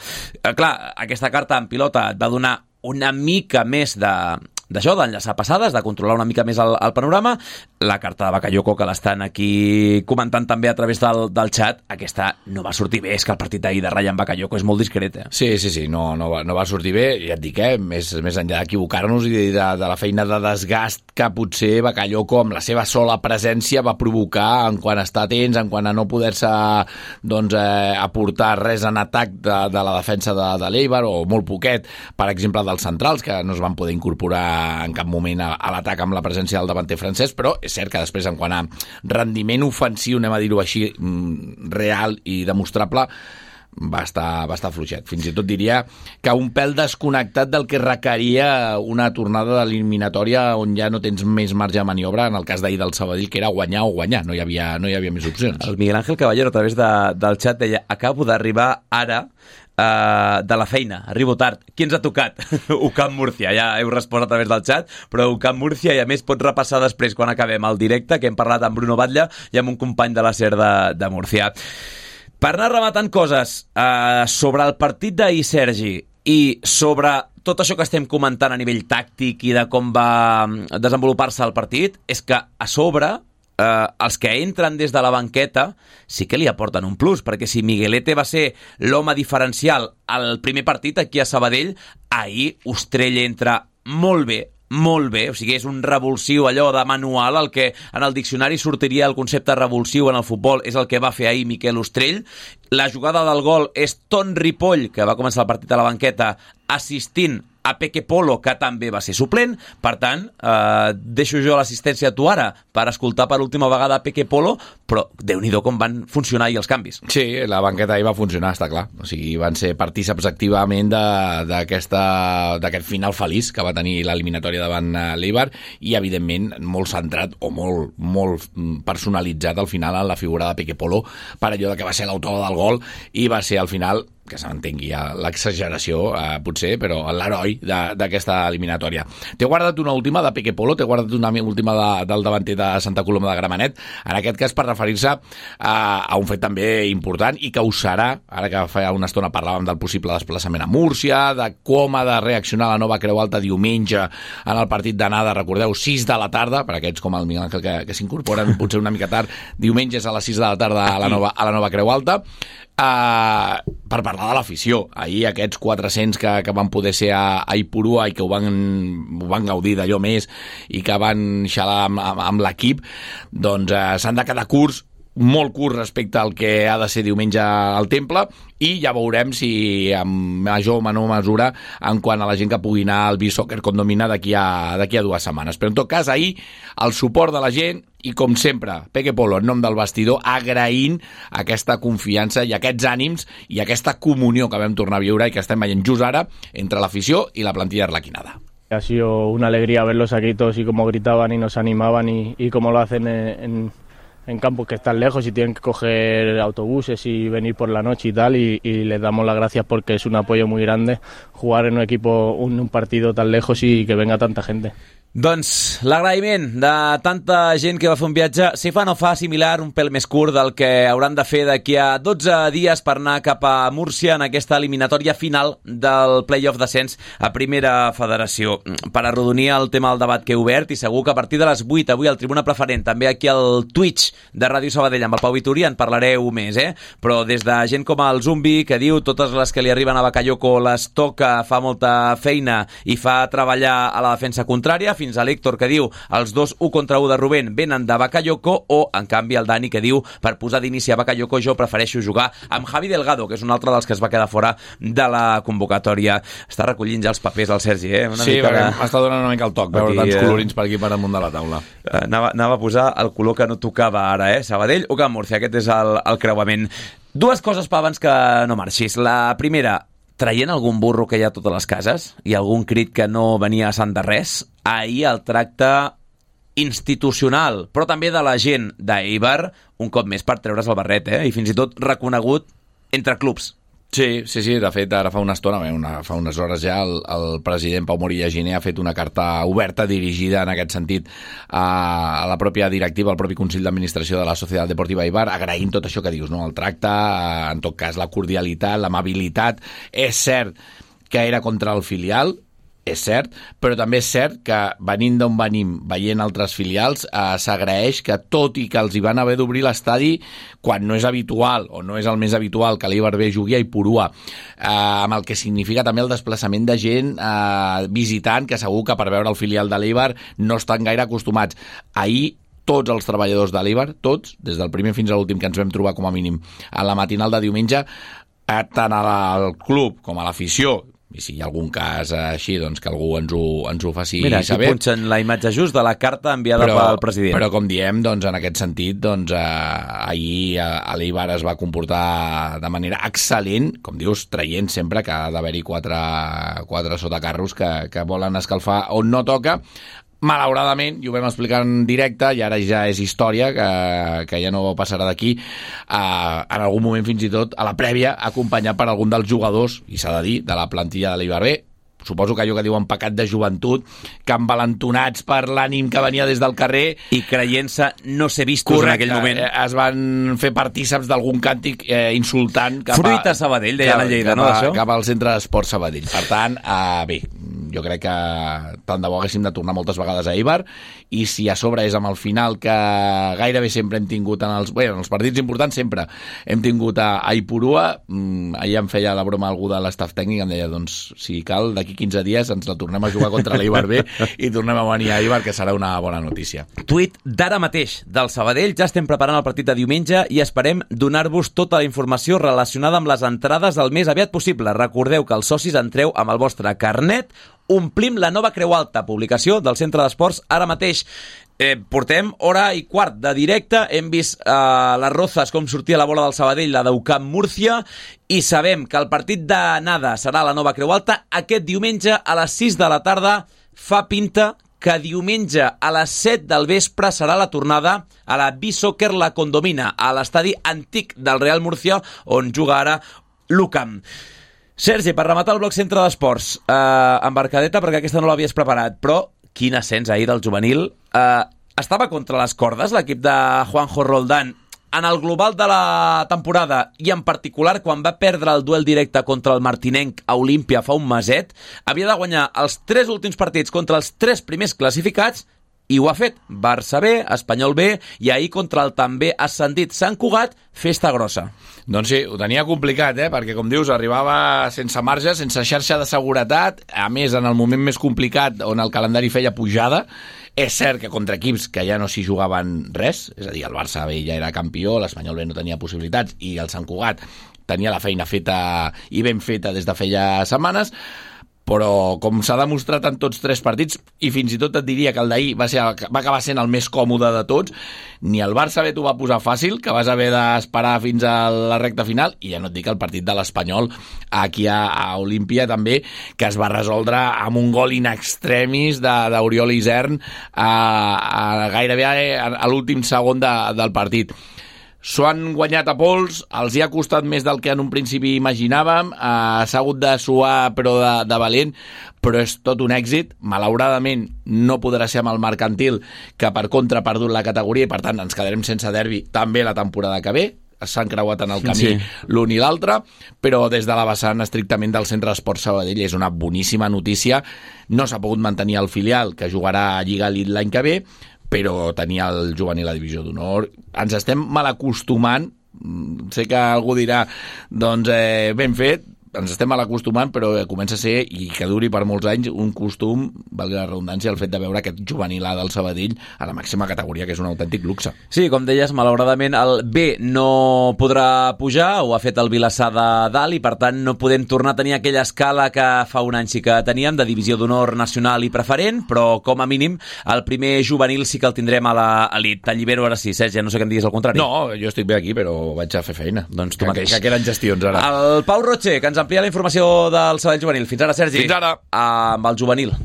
Clar, aquesta carta amb pilota et va donar una mica més d'això, d'enllaçar passades, de controlar una mica més el panorama. La carta de Bakayoko, que l'estan aquí comentant també a través del xat, aquesta no va sortir bé. És que el partit d'ahir de Ryan Bakayoko és molt discret. Sí, no va sortir bé. Ja et dic, més enllà d'equivocar-nos i de la feina de desgast que potser Bakayoko, amb la seva sola presència, va provocar en quant a estar atents, en quant a no poder-se aportar res en atac de la defensa de l'Eibar, o molt poquet, per exemple, dels centrals, que no es van poder incorporar en cap moment a l'atac amb la presència del davanter francès, però és cert que després, en quant a rendiment ofensiu, anem a dir-ho així, real i demostrable, va estar fluixet. Fins i tot diria que un pèl desconnectat del que requeria una tornada d'eliminatòria on ja no tens més marge de maniobra, en el cas d'ahir del Sabadell, que era guanyar o guanyar, no hi havia més opcions. El Miguel Ángel Caballero, a través del xat, deia: acabo d'arribar ara de la feina, arribo tard. Qui ens ha tocat? UCAM Múrcia, ja heu respost a través del xat, però UCAM Múrcia, i a més pots repassar després, quan acabem el directe, que hem parlat amb Bruno Batlle i amb un company de la SER de Múrcia. Per anar rematant coses sobre el partit d'ahir, Sergi, i sobre tot això que estem comentant a nivell tàctic i de com va desenvolupar-se el partit, és que a sobre els que entren des de la banqueta sí que li aporten un plus, perquè si Miguelete va ser l'home diferencial al primer partit aquí a Sabadell, ahir Ostrell entra molt bé, o sigui, és un revulsiu allò de manual, el que en el diccionari sortiria el concepte revulsiu en el futbol, és el que va fer ahir Miquel Ostrell. La jugada del gol és Ton Ripoll, que va començar el partit a la banqueta, assistint a Peque Polo, que també va ser suplent. Per tant, deixo jo l'assistència a tu ara per escoltar per última vegada a Peque Polo, però Déu-n'hi-do com van funcionar ahir els canvis. Sí, la banqueta ahir va funcionar, està clar. O sigui, van ser partíceps activament d'aquest final feliç que va tenir l'eliminatòria davant l'Eibar, i evidentment molt centrat o molt personalitzat al final en la figura de Peque Polo, per allò que va ser l'autor del gol i va ser al final, que s'entengui l'exageració, potser, però l'heroi d'aquesta eliminatòria. T'he guardat una última de Peque Polo, t'he guardat una última del davanter de Santa Coloma de Gramenet, en aquest cas per referir-se a un fet també important, i que ho serà, ara que fa una estona parlàvem del possible desplaçament a Múrcia, de com ha de reaccionar la nova Creu Alta diumenge en el partit d'anada, recordeu, 6 de la tarda, per aquests com el Miguel Ángel que s'incorporen potser una mica tard, diumenges a les 6 de la tarda a la nova Creu Alta, per parlar de l'afició. Ahir aquests 400 que van poder ser a Ipurua i que ho van gaudir d'allò més i que van xalar amb l'equip, doncs s'han de quedar curts, molt curt respecte al que ha de ser diumenge al Temple, i ja veurem si amb major o menor mesura en quant a la gent que pugui anar al Beach Soccer Condomina d'aquí a 2 setmanes. Però en tot cas, ahir el suport de la gent i, com sempre, Peque Polo, en nom del vestidor, agraint aquesta confiança i aquests ànims i aquesta comunió que vam tornar a viure i que estem veient just ara entre l'afició i la plantilla arlequinada. Ha sido una alegría verlos aquí todos y cómo gritaban y nos animaban y cómo lo hacen en campos que están lejos y tienen que coger autobuses y venir por la noche y tal, y les damos las gracias porque es un apoyo muy grande jugar en un equipo, un partido tan lejos y que venga tanta gente. Doncs l'agraïment de tanta gent que va fer un viatge, si fa no fa, similar, un pèl més curt del que hauran de fer d'aquí a 12 dies per anar cap a Múrcia en aquesta eliminatòria final del play-off descens a Primera Federació. Per arrodonir el tema del debat que he obert, i segur que a partir de les 8 avui al Tribuna Preferent, també aquí al Twitch de Ràdio Sabadell amb el Pau Vitori en parlareu més, però des de gent com el Zumbi, que diu totes les que li arriben a Bakayoko les toca, fa molta feina i fa treballar a la defensa contrària, fins a l'Héctor, que diu els 2 1 contra 1 de Rubén venen de Bakayoko, o en canvi el Dani, que diu per posar d'inici a Bakayoko jo prefereixo jugar amb Javi Delgado, que és un altre dels que es va quedar fora de la convocatòria. Està recollint ja els papers el Sergi, una sí, mica m'està donant una mica el toc veure tants colorins per aquí per damunt de la taula. Anava a posar el color que no tocava ara, Sabadell o Camp Múrcia, aquest és el creuament. 2 coses per abans que no marxis. La primera, traient algun burro que hi ha a totes les cases i algun crit que no venia a sant de res, ahir el tracte institucional, però també de la gent d'Eibar, un cop més per treure's el barret, i fins i tot reconegut entre clubs. Sí, de fet, ara fa una estona, fa unes hores ja, el president Pau Morilla Giner ha fet una carta oberta dirigida en aquest sentit a la pròpia directiva, al propi Consell d'Administració de la Societat Deportiva Eibar, agraint tot això que dius, no? El tracte, en tot cas la cordialitat, l'amabilitat. És cert que era contra el filial, és cert, però també és cert que venint d'on venim, veient altres filials, s'agraeix que tot i que els hi van haver d'obrir l'estadi quan no és habitual, o no és el més habitual que l'Eibar B jugui a Ipurua, amb el que significa també el desplaçament de gent visitant, que segur que per veure el filial de l'Eibar no estan gaire acostumats. Ahir tots els treballadors de l'Eibar, tots, des del primer fins a l'últim que ens vam trobar com a mínim a la matinal de diumenge, tant al club com a l'afició, i si hi ha algun cas així, doncs que algú ens ho faci saber. Mira, aquí punxen la imatge just de la carta enviada pel president. Però com diem, doncs, en aquest sentit, doncs, ahir a l'Eibar es va comportar de manera excel·lent, com dius, traient sempre que ha d'haver-hi quatre sotacarros que volen escalfar on no toca. Malauradament, i ho vam explicar en directe, i ara ja és història, que ja no passarà d'aquí, en algun moment fins i tot a la prèvia, acompanyat per algun dels jugadors, i s'ha de dir, de la plantilla de l'Eibar B, suposo que allò que diuen pecat de joventut, que envalentonats per l'ànim que venia des del carrer i creient-se no ser vistos en aquell moment, es van fer partíceps d'algun càntic insultant fruit a Sabadell, deien a Lleida, no? Cap al centre d'esport Sabadell. Per tant, bé, jo crec que tant de bo haguéssim de tornar moltes vegades a Eibar, i si a sobre és amb el final que gairebé sempre hem tingut en els partits importants, sempre hem tingut a Ipurua. Ahir em feia la broma algú de l'estaf tècnic, em deia, doncs, si cal, d'aquí 15 dies ens la tornem a jugar contra l'Eibar B i tornem a venir a Eibar, que serà una bona notícia. Tuit d'ara mateix del Sabadell, ja estem preparant el partit de diumenge i esperem donar-vos tota la informació relacionada amb les entrades el més aviat possible. Recordeu que els socis entreu amb el vostre carnet. Omplim la nova Creu Alta, publicació del Centre d'Esports ara mateix. Portem hora i quart de directe, hem vist les Rozas com sortia la bola del Sabadell, la d'Ucamp Múrcia, i sabem que el partit d'anada serà la nova Creu Alta aquest diumenge a les 6 de la tarda. Fa pinta que diumenge a les 7 del vespre serà la tornada a la B-Soccer La Condomina, a l'estadi antic del Real Murcia, on juga ara l'Ucamp. Sergi, per rematar el bloc Centre d'Esports, embarcadeta, perquè aquesta no l'havies preparat, però quin ascens ahir del juvenil. Estava contra les cordes l'equip de Juanjo Roldán en el global de la temporada, i en particular quan va perdre el duel directe contra el martinenc a Olímpia fa un meset. Havia de guanyar els 3 últims partits contra els 3 primers classificats, i ho ha fet. Barça B, Espanyol B, i ahir contra el també ascendit Sant Cugat, festa grossa. Doncs sí, ho tenia complicat, perquè com dius, arribava sense marge, sense xarxa de seguretat, a més en el moment més complicat on el calendari feia pujada. És cert que contra equips que ja no s'hi jugaven res, és a dir, el Barça B ja era campió, l'Espanyol B no tenia possibilitats i el Sant Cugat tenia la feina feta i ben feta des de feia setmanes. Però com s'ha demostrat en tots 3 partits, i fins i tot et diria que el d'ahir va acabar sent el més còmode de tots, ni el Barça B t'ho va posar fàcil, que vas haver d'esperar fins a la recta final, i ja no et dic el partit de l'Espanyol aquí a Olímpia també, que es va resoldre amb un gol in extremis d'Oriol Isern gairebé a l'últim segon del partit. s'ho han guanyat a pols, els hi ha costat més del que en un principi imaginàvem, s'ha hagut de suar però de valent, però és tot un èxit. Malauradament no podrà ser amb el Mercantil, que per contra ha perdut la categoria, i per tant ens quedarem sense derbi també la temporada que ve. S'han creuat en el camí l'un i l'altre, però des de la vessant estrictament del Centre d'Esports Sabadell és una boníssima notícia. No s'ha pogut mantenir el filial, que jugarà a Lliga Elite l'any que ve, però tenia el juvenil a Divisió d'Honor. Ens estem malacostumant, sé que algú dirà, doncs ben fet, ens estem mal acostumant, però comença a ser, i que duri per molts anys, un costum, valgui la redundància, el fet de veure aquest juvenil A del Sabadell a la màxima categoria, que és un autèntic luxe. Sí, com deies, malauradament el B no podrà pujar, ho ha fet el Vilassar de dalt, i per tant no podem tornar a tenir aquella escala que fa un any sí que teníem, de divisió d'honor nacional i preferent, però com a mínim el primer juvenil sí que el tindrem a l'elit. T'allibero ara sí, Sergi, no sé què em diguis al contrari. No, jo estic bé aquí, però vaig a fer feina. Doncs tu mateix. Que queden gestions ara. El Pau Roche, que ens amplia la informació del Sabadell juvenil. Fins ara, Sergi. Fins ara. Amb el juvenil.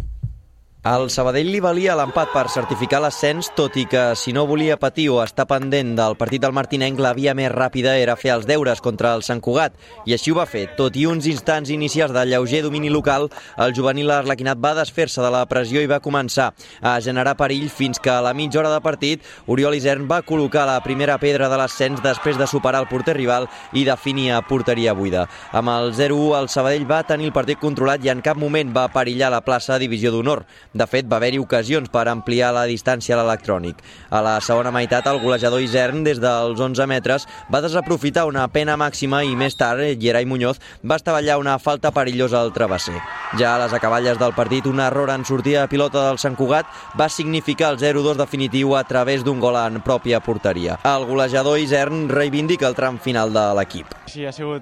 Al Sabadell li valia l'empat per certificar l'ascens, tot i que si no volia patir o estar pendent del partit del Martinenc, la via més ràpida era fer els deures contra el Sant Cugat, i així ho va fer. Tot i uns instants inicials de lleuger domini local, el juvenil arlequinat va desfer-se de la pressió i va començar a generar perill fins que a la mitja hora de partit Oriol Isern va col·locar la primera pedra de l'ascens després de superar el porter rival i definir a porteria buida. Amb el 0-1 el Sabadell va tenir el partit controlat i en cap moment va perillar la plaça a Divisió d'Honor. De fet, va haver-hi ocasions per ampliar la distància a l'electrònic. A la segona meitat, el golejador Isern, des dels 11 metres, va desaprofitar una pena màxima i més tard, Gerai Muñoz va estavellar una falta perillosa al travesser. Ja a les acaballes del partit, un error en sortida de pilota del Sant Cugat va significar el 0-2 definitiu a través d'un gol en pròpia porteria. El golejador Isern reivindica el tram final de l'equip. Sí, ha sigut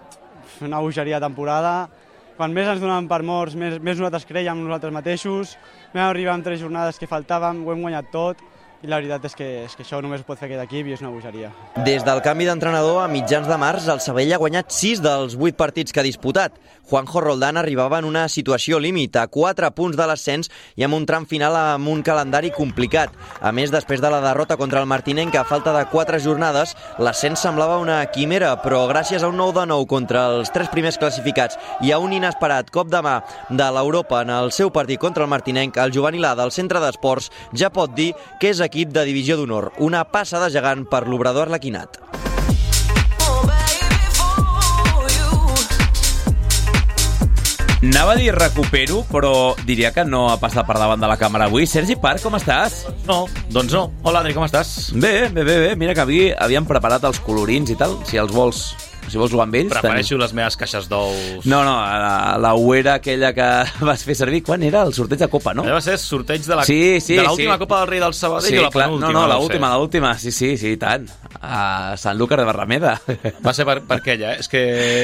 una bogeria temporada. Quan més ens donaven per morts, més nosaltres crèiem nosaltres mateixos. Vam arribar amb 3 jornades que faltàvem, ho hem guanyat tot, i la veritat és que això només ho pot fer aquest equip i és una bogeria. Des del canvi d'entrenador a mitjans de març, el Sabadell ha guanyat 6 dels 8 partits que ha disputat. Juanjo Roldán arribava en una situació límit, a 4 punts de l'ascens i amb un tram final amb un calendari complicat. A més, després de la derrota contra el Martinenc, a falta de 4 jornades, l'ascens semblava una quimera, però gràcies a un 9-9 contra els 3 primers classificats i a un inesperat cop de mà de l'Europa en el seu partit contra el Martinenc, el juvenil A del Centre d'Esports ja pot dir que és equip de Divisió d'Honor, una passada gegant per l'obrador arlequinat. Anava a dir recupero, però diria que no ha passat per davant de la càmera avui. Sergi Parc, com estàs? No, doncs no. Hola, Adri, com estàs? Bé. Mira que avui havíem preparat els colorins i tal, si els vols jugar amb ells. Prepareixo les meves caixes d'ous. No, la uera aquella que vas fer servir, quan era? El sorteig de Copa, no? Va ser el sorteig de l'última Copa del Rei del Sabadell o la penúltima? No, l'última, sí, i tant. A Sant Lúcar de Barrameda. Va ser per aquella, és que...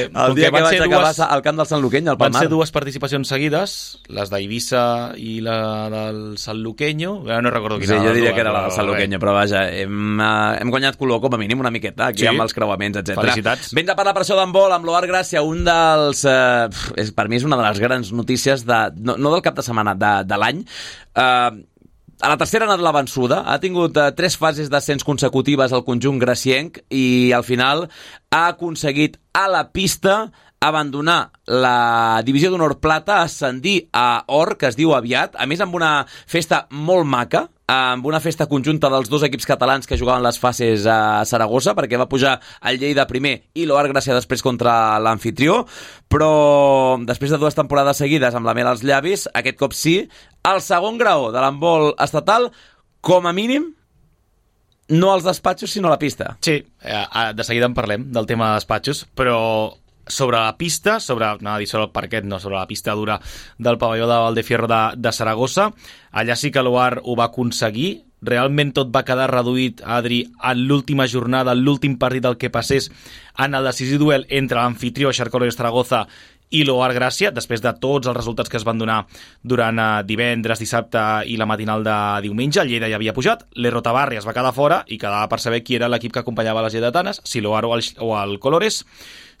El dia que vaig acabar al camp del Sant Luqueny, al Palmar. Van ser 2 participacions seguides, les d'Eivissa i la del Sant Luqueño. No recordo quina. Sí, jo diria que era la del Sant Luqueño, però vaja, hem guanyat color com a mínim una miqueta, aquí amb els creuaments, etc. Felicitats. Vens a parlar per això d'handbol amb l'Oar Gràcia, un dels... per mi és una de les grans notícies, no del cap de setmana, de l'any. A la tercera ha anat la vençuda, ha tingut 3 fases d'ascens consecutives al conjunt gracienc i al final ha aconseguit a la pista abandonar la divisió d'honor plata, ascendir a or, que es diu aviat, a més amb una festa molt maca, amb una festa conjunta dels 2 equips catalans que jugaven les fases a Saragossa, perquè va pujar el Lleida primer i l'Oar Gràcia després contra l'anfitrió, però després de 2 temporades seguides amb la mel als llavis, aquest cop sí, el segon grau de l'handbol estatal, com a mínim, no als despatxos, sinó a la pista. Sí, de seguida en parlem del tema de despatxos, però sobre la pista, sobre el parquet, no, sobre la pista dura del pavelló de Valdefierro de Saragossa, allà sí que l'Oar ho va aconseguir. Realment tot va quedar reduït, Adri, en l'última jornada, en l'últim partit del que passés en el decisiu duel entre l'anfitrió Xarcollo de Zaragoza i l'Oar Gràcia, després de tots els resultats que es van donar durant divendres, dissabte i la matinal de diumenge. El Lleida ja havia pujat, l'Errotabarri es va quedar fora i quedava per saber qui era l'equip que acompanyava les lleidatanes, si l'Oar o el Colores.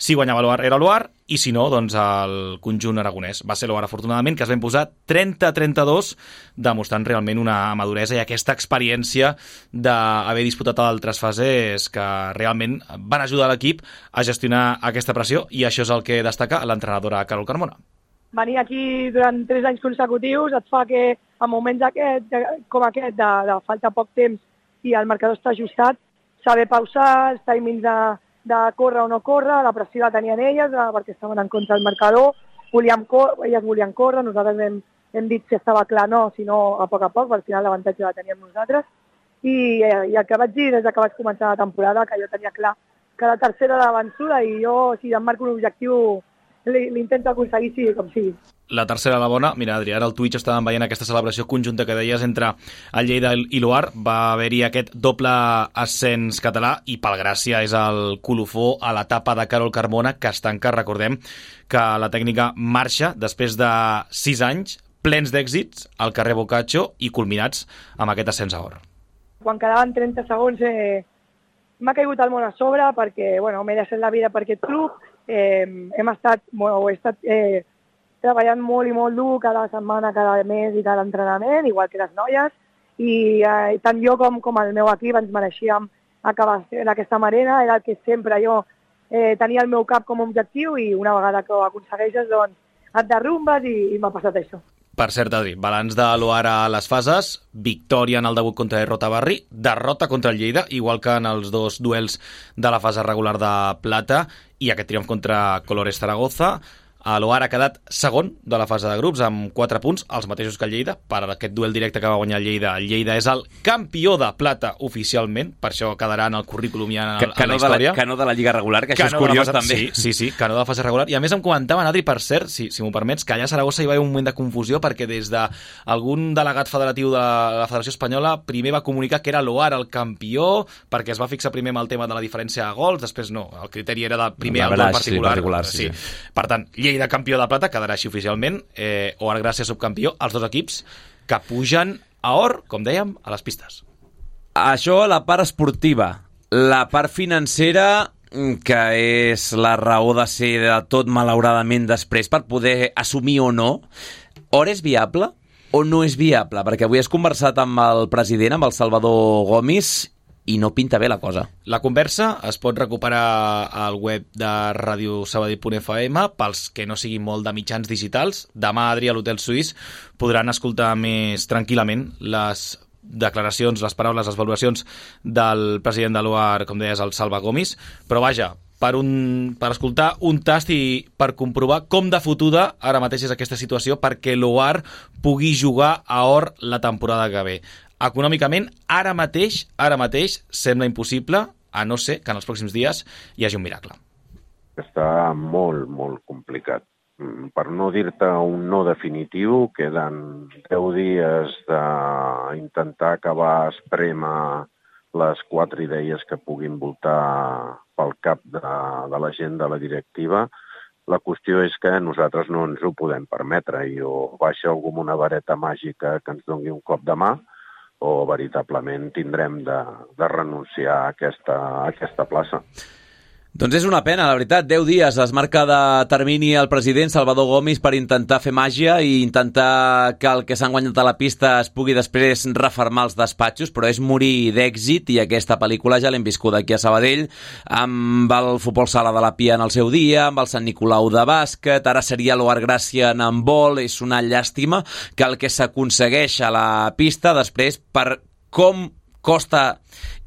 Si guanyava l'Oar era l'Oar i si no, doncs el conjunt aragonès. Va ser l'Oar, afortunadament, que es va imposar 30-32, demostrant realment una maduresa i aquesta experiència d'haver disputat altres fases que realment van ajudar l'equip a gestionar aquesta pressió, i això és el que destaca l'entrenadora Carol Carmona. Venir aquí durant 3 anys consecutius et fa que en moments com aquest de falta poc temps i el marcador està ajustat, saber pausar, els timings de córrer o no córrer, la pressió la tenien elles perquè estaven en contra del marcador, elles volien córrer, nosaltres hem dit si estava clar no, si no a poc, perquè al final l'avantatge la teníem nosaltres, i el que vaig dir des que vaig començar la temporada, que jo tenia clar que la tercera era la vençuda i jo, si em marco un objectiu, l'intento aconseguir sigui com sigui. La tercera la bona. Mira, Adrià, ara al Twitch estàvem veient aquesta celebració conjunta que deies entre el Lleida i l'Oar. Va haver-hi aquest doble ascens català i pel Gràcia és el colofó a l'etapa de Carol Carmona, que es tanca. Recordem que la tècnica marxa després de 6 anys plens d'èxits al carrer Boccaccio i culminats amb aquest ascens a Or. Quan quedaven 30 segons m'ha caigut el món a sobre perquè m'he deixat la vida per aquest club. He estat treballant molt i molt dur cada setmana, cada mes i cada entrenament, igual que les noies, i tant jo com el meu equip ens mereixíem acabar d'aquesta manera. Era el que sempre jo tenia al meu cap com a objectiu, i una vegada que ho aconsegueixes doncs et derrumbes i m'ha passat això. Per cert, Adri, balanç de l'Oar a les fases, victòria en el debut contra Rotabarri, derrota contra el Lleida, igual que en els 2 duels de la fase regular de plata, i aquest triomf contra Colores Zaragoza. L'Oar ha quedat segon de la fase de grups amb 4 punts, els mateixos que el Lleida, per aquest duel directe que va guanyar el Lleida. El Lleida és el campió de plata oficialment, per això quedarà en el currículum i en la història. Canó de la Lliga regular, que això és curiós també. Sí, canó de la fase regular. I a més em comentaven, Adri, per cert, si m'ho permets, que allà a Saragossa hi va haver un moment de confusió perquè des d'algun delegat federatiu de la Federació Espanyola primer va comunicar que era l'Oar el campió perquè es va fixar primer amb el tema de la diferència de gols, després no, el criteri era de primer el gol particular. Sí. Per tant, Lleida campió de plata, quedarà així oficialment, Oar Gràcia subcampió, els 2 equips que pugen a Or, com dèiem, a les pistes. Això, la part esportiva. La part financera, que és la raó de ser de tot, malauradament, després, per poder assumir o no, Or és viable o no és viable? Perquè avui has conversat amb el president, amb el Salvador Gomis, i no pinta bé la cosa. La conversa es pot recuperar al web de radiosabadell.fm pels que no siguin molt de mitjans digitals. Demà, Adri, a l'Hotel Suís podran escoltar més tranquil·lament les declaracions, les paraules, les valoracions del president de l'Oar, com deies, el Salva Gomis, però vaja, per escoltar un tast i per comprovar com de fotuda ara mateix és aquesta situació perquè l'Oar pugui jugar a Or la temporada que ve. Econòmicament, ara mateix sembla impossible, a no ser que en els pròxims dies hi hagi un miracle. Està molt, molt complicat. Per no dir-te un no definitiu, queden 10 dies d'intentar acabar esprémer les 4 idees que puguin voltar pel cap de la gent de la directiva. La qüestió és que nosaltres no ens ho podem permetre i o baixa algú amb una vareta màgica que ens doni un cop de mà o veritablement tindrem de renunciar a aquesta plaça. Doncs és una pena, la veritat. 10 dies es marca de termini el president Salvador Gomis per intentar fer màgia i intentar que el que s'han guanyat a la pista es pugui després refermar als despatxos, però és morir d'èxit i aquesta pel·lícula ja l'hem viscut aquí a Sabadell amb el Futbol Sala de la Pia en el seu dia, amb el Sant Nicolau de bàsquet, ara seria l'Oar Gràcia en handbol. És una llàstima que el que s'aconsegueix a la pista després per com costa,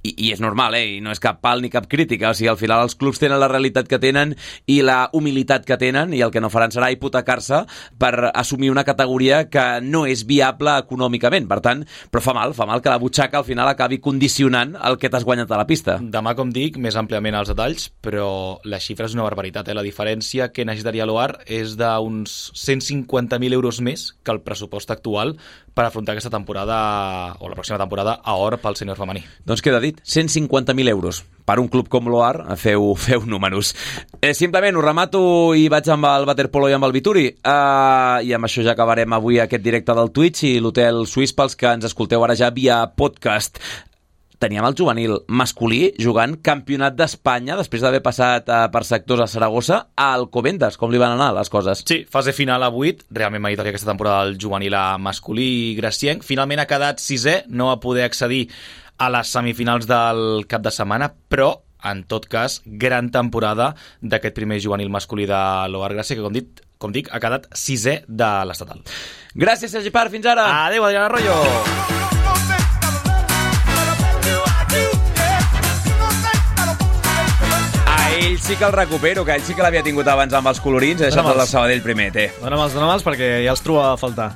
i és normal, i no és cap pal ni cap crítica, o sigui, al final els clubs tenen la realitat que tenen i la humilitat que tenen, i el que no faran serà hipotecar-se per assumir una categoria que no és viable econòmicament. Per tant, però fa mal que la butxaca al final acabi condicionant el que t'has guanyat a la pista. Demà, com dic, més àmpliament els detalls, però la xifra és una barbaritat. La diferència que necessitaria l'Oar és d'uns 150.000 euros més que el pressupost actual per afrontar aquesta temporada, o la pròxima temporada, a Or pel sènior femení. Doncs queda dit, 150.000 euros. Per un club com l'Oar, feu números. Simplement ho remato i vaig amb el waterpolo i amb el Vituri. I amb això ja acabarem avui aquest directe del Twitch i l'Hotel Suís pels que ens escolteu ara ja via podcast. teníem el juvenil masculí jugant campionat d'Espanya després d'haver passat per sectors a Saragossa a Alcobendas. Com li van anar les coses? Sí, fase final a 8. Realment meritoria aquesta temporada el juvenil masculí gracienc. Finalment ha quedat 6è, no va poder accedir a les semifinals del cap de setmana, però en tot cas, gran temporada d'aquest primer juvenil masculí de l'Oar Gràcia, que com dic, ha quedat 6è de l'estatal. Gràcies, Sergi Parr, fins ara! Adéu, Adrián Arroyo! Ell sí que el recupero, que ell sí que l'havia tingut abans amb els colorins, he deixat el del Sabadell primer, té. Dóna'mels, perquè ja els trobo a faltar.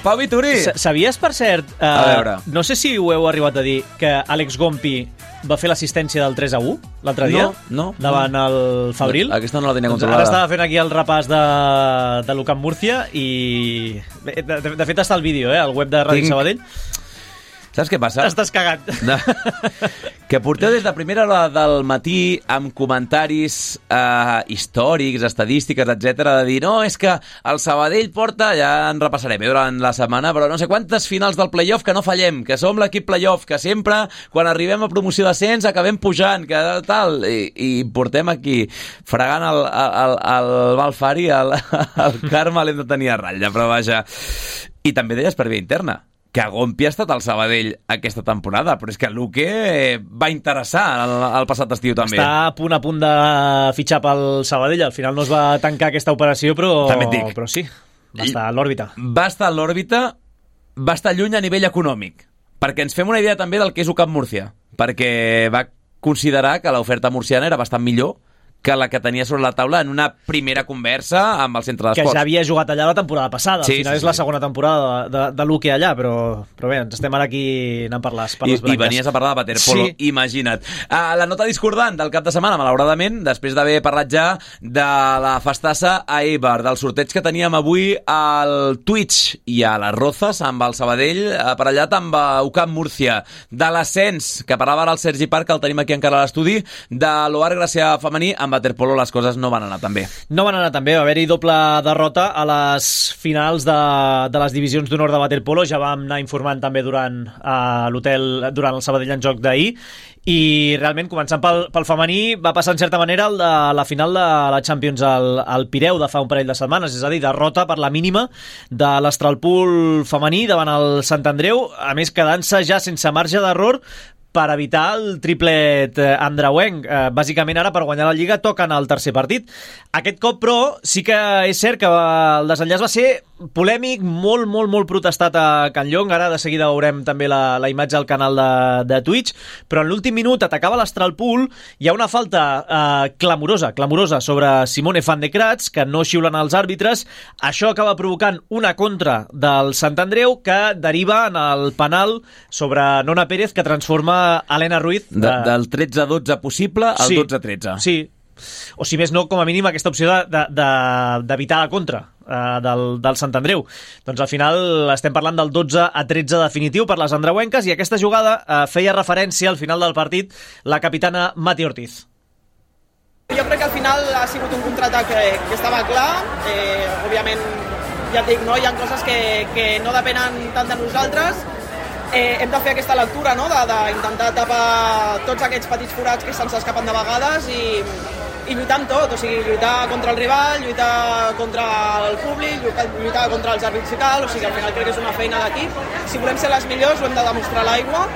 Pau Vituri! Sabies, per cert, a veure, no sé si ho heu arribat a dir, que Àlex Gompi va fer l'assistència del 3-1 l'altre dia? No. Davant el Fabril? Aquesta no la tenia controlada. Ara estava fent aquí el repàs de l'UCAM Múrcia i... De fet està el vídeo, al web de Ràdio Sabadell. Saps què passa? Estàs cagat. Que porteu des de primera hora del matí amb comentaris històrics, estadístiques, etc, de dir, no, és que el Sabadell porta, ja en repassarem durant la setmana, però no sé quantes finals del playoff que no fallem, que som l'equip playoff, que sempre, quan arribem a promoció d'ascens, acabem pujant, que tal, i portem aquí fregant el Balfari, el Carme l'hem de tenir a ratlla, però vaja. I també deies per via interna, que Gompi ha estat al Sabadell aquesta temporada, però és que Luque va interessar el passat estiu també. Està a punt de fitxar pel Sabadell, al final no es va tancar aquesta operació, però sí, va estar a l'òrbita. Va estar a l'òrbita, va estar lluny a nivell econòmic, perquè ens fem una idea també del que és UCAM Múrcia, perquè va considerar que l'oferta murciana era bastant millor que la que tenia sobre la taula en una primera conversa amb el centre d'esports. Que ja havia jugat allà la temporada passada. Al final és la segona temporada de Luque allà, però bé, ens estem ara aquí anant per les branques. I venies a parlar de waterpolo, imagina't. La nota discordant del cap de setmana, malauradament, després d'haver parlat ja de la festassa a Eibar, del sorteig que teníem avui al Twitch i a les Rozas, amb el Sabadell aparellat amb UCAM Múrcia, de l'ascens, que parlava ara el Sergi Parr, que el tenim aquí encara a l'estudi, de l'Oar Gràcia femení, amb waterpolo les coses no van anar tan bé. No van anar tan bé, va haver-hi doble derrota a les finals de les divisions d'honor de waterpolo, ja vam anar informant també durant l'hotel, durant el Sabadell en joc d'ahir, i realment, començant pel femení, va passar en certa manera el de la final de la Champions al Pireu de fa un parell de setmanes, és a dir, derrota per la mínima de l'Astralpool femení davant el Sant Andreu, a més quedant-se ja sense marge d'error per evitar el triplet andreuenc. Bàsicament ara per guanyar la Lliga toquen el tercer partit. Aquest cop, però, sí que és cert que el desenllaç va ser polèmic, molt protestat a Can Llong. Ara de seguida veurem també la imatge al canal de Twitch, però en l'últim minut atacava l'Astralpool, hi ha una falta clamorosa sobre Simone van de Kratz, que no xiulen els àrbitres. Això acaba provocant una contra del Sant Andreu que deriva en el penal sobre Nona Pérez, que transforma Helena Ruiz del 13-12 possible al 12-13. Sí, o si més no, com a mínim aquesta opció d'evitar la contra del Sant Andreu. Doncs al final estem parlant del 12-13 definitiu per les andreuenques, i aquesta jugada feia referència al final del partit la capitana Mati Ortiz. Jo crec que al final ha sigut un contraatac que estava clar. Òbviament, ja et dic, no? Hi ha coses que no depenen tant de nosaltres. Hem de fer aquesta lectura, no? D'intentar tapar tots aquests petits forats que se'ns escapen de vegades i lluitar amb tot, o sigui, lluitar contra el rival, lluitar contra el públic, lluitar contra els àrbits i tal, o sigui, al final crec que és una feina d'equip. Si volem ser les millors ho hem de demostrar a l'aigua,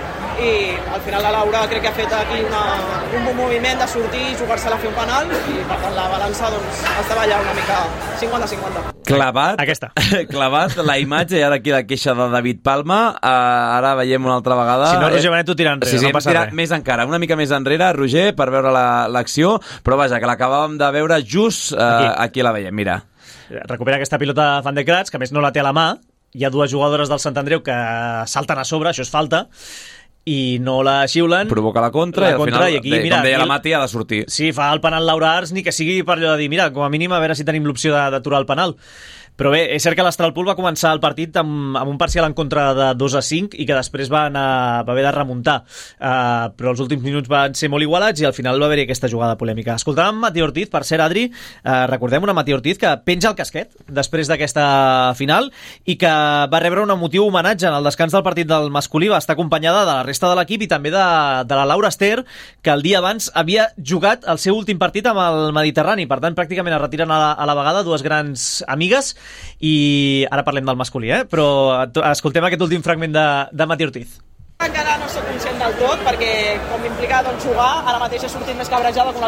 i al final la Laura crec que ha fet aquí un bon moviment de sortir i jugar-se-la a fer un penal, i per tant la balança doncs, estava allà una mica 50-50. Clavat la imatge, i ara aquí la queixa de David Palma, ara veiem una altra vegada. Si no, Roger Benet ho tira enrere, no passa res. Més encara, una mica més enrere, Roger, per veure l'acció, però vaja, que l'acabàvem de veure just aquí la veiem, mira. Recupera aquesta pilota Van de Kratz, que a més no la té a la mà, hi ha dues jugadores del Sant Andreu que salten a sobre, això és falta, i no la xiulen, provoca la contra i al final, i aquí, mira, com deia la Mati, ha de sortir. Sí, fa el penal Laura Ars, ni que sigui per allò de dir, mira, com a mínim a veure si tenim l'opció d'aturar el penal. Però bé, és cert que l'Astralpool va començar el partit amb un parcial en contra de 2-5 i que després va haver de remuntar. Però els últims minuts van ser molt igualats i al final va haver-hi aquesta jugada polèmica. Escoltàvem Mati Ortiz, per cert, Adri, recordem una Mati Ortiz que penja el casquet després d'aquesta final i que va rebre un emotiu homenatge en el descans del partit del masculí. Va estar acompanyada de la resta de l'equip i també de la Laura Ester, que el dia abans havia jugat el seu últim partit amb el Mediterrani. Per tant, pràcticament es retiren a la vegada dues grans amigues i ara parlem del masculí, però escoltem aquest últim fragment de Mati Ortiz. Encara no soc conscient del tot, perquè com m'implica jugar, ara mateix he sortit més cabrejada que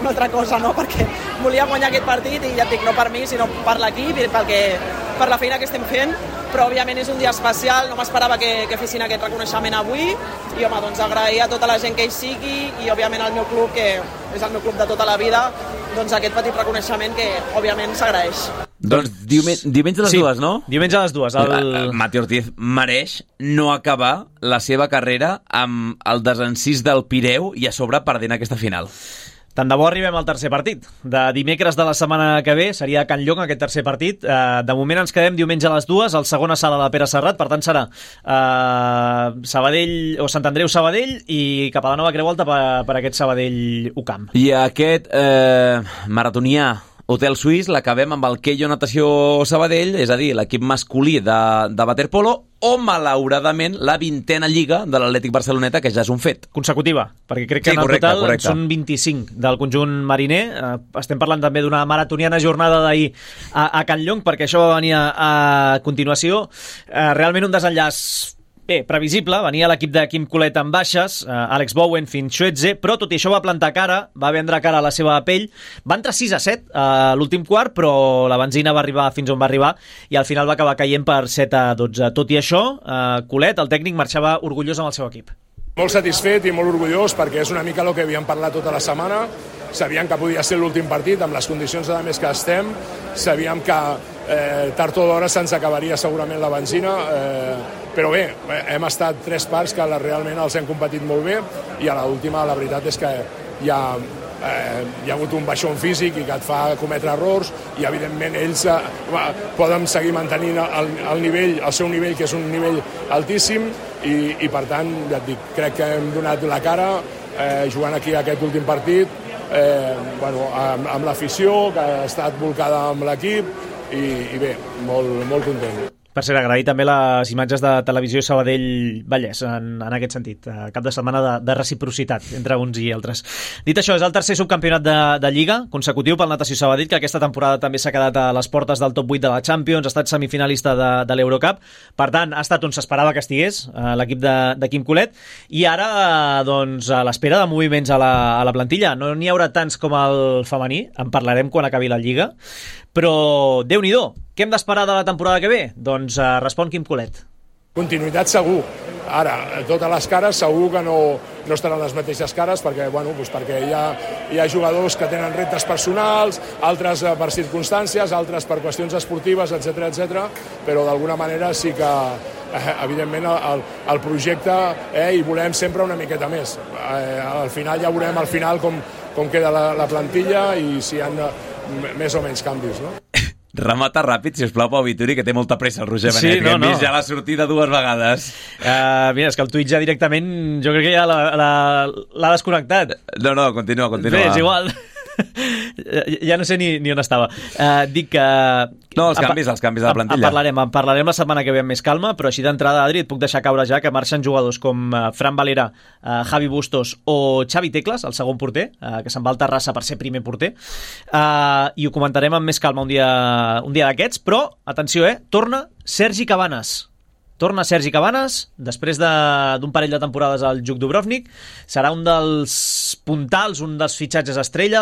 una altra cosa, no? Perquè volia guanyar aquest partit i ja et dic, no per mi, sinó per l'equip i per la feina que estem fent, però òbviament és un dia especial, no m'esperava que fessin aquest reconeixement avui i home, doncs agrair a tota la gent que hi sigui i òbviament al meu club, que és el meu club de tota la vida, doncs aquest petit reconeixement que òbviament s'agraeix. Doncs diumenge a les dues, no? Diumenge a les dues. Mati Ortiz mereix no acabar la seva carrera amb el desencís del Pireu i a sobre perdent aquesta final. Tant de bo arribem al tercer partit. De dimecres de la setmana que ve seria a Can Llong aquest tercer partit. De moment ens quedem diumenge a les dues, al segona sala de Pere Serrat, per tant serà Sabadell o Sant Andreu Sabadell i cap a la Nova Creu Alta per aquest Sabadell UCAM. I aquest maratonià Hotel Suís l'acabem amb el Keio Natació Sabadell, és a dir, l'equip masculí de waterpolo, o malauradament la 20a lliga de l'Atlètic Barceloneta, que ja és un fet. Consecutiva, perquè crec que en el total són 25 del conjunt mariner. Estem parlant també d'una maratoniana jornada d'ahir a Can Llong, perquè això va venir a continuació. Realment un desenllaç previsible, venia l'equip de Quim Colet amb baixes, Àlex Bowen fins Schwetze, però tot i això va plantar cara, va vendre cara a la seva pell, va entrar 6-7 a l'últim quart, però la benzina va arribar fins on va arribar i al final va acabar caient per 7-12. Tot i això, Colet, el tècnic, marxava orgullós amb el seu equip. Molt satisfet i molt orgullós perquè és una mica el que havíem parlat tota la setmana. Sabíem que podia ser l'últim partit amb les condicions de més que estem. Sabíem que tard o d'hora se'ns acabaria segurament la benzina, però bé, hem estat 3 parts que realment els hem competit molt bé i a l'última la veritat és que hi ha hagut un baixón físic i que et fa cometre errors i evidentment ells poden seguir mantenint el seu nivell, que és un nivell altíssim i per tant, ja et dic, crec que hem donat la cara jugant aquí aquest últim partit amb l'afició que ha estat volcada amb l'equip i bé, molt content. Per cert, agrair també les imatges de Televisió Sabadell-Vallès en aquest sentit. Cap de setmana de reciprocitat entre uns i altres. Dit això, és el tercer subcampionat de Lliga consecutiu pel Natació Sabadell, que aquesta temporada també s'ha quedat a les portes del top 8 de la Champions, ha estat semifinalista de l'Eurocup. Per tant, ha estat on s'esperava que estigués l'equip de Quim Colet i ara, doncs, a l'espera de moviments a la plantilla. No n'hi haurà tants com el femení, en parlarem quan acabi la Lliga, però Déu-n'hi-do, què hem d'esperar de la temporada que ve? Doncs respon Quim Colet. Continuïtat segur. Ara, totes les cares segur que no estaran les mateixes cares perquè hi ha jugadors que tenen reptes personals, altres per circumstàncies, altres per qüestions esportives, etc, però d'alguna manera sí que evidentment el projecte hi volem sempre una miqueta més. Al final ja veurem com queda la plantilla i si hi ha més o menys canvis, no? Remata ràpid, si us plau, Pau Vituri, que té molta pressa el Roger Benet, que hem vist ja la sortida 2 vegades. Mira, és que el tuit ja directament jo crec que ja l'ha desconnectat. No, continua. Bé, és igual. Ja no sé ni on estava. Dic que... No, els canvis de la plantilla. En parlarem la setmana que ve amb més calma, però així d'entrada, Adri, et puc deixar caure ja que marxen jugadors com Fran Valera, Javi Bustos o Xavi Tecles, el segon porter, que se'n va al Terrassa per ser primer porter, i ho comentarem amb més calma un dia d'aquests, però, atenció, torna Sergi Cabanes. Torna Sergi Cabanes, després d'un parell de temporades al Juk Dubrovnik, serà un dels puntals, un dels fitxatges estrella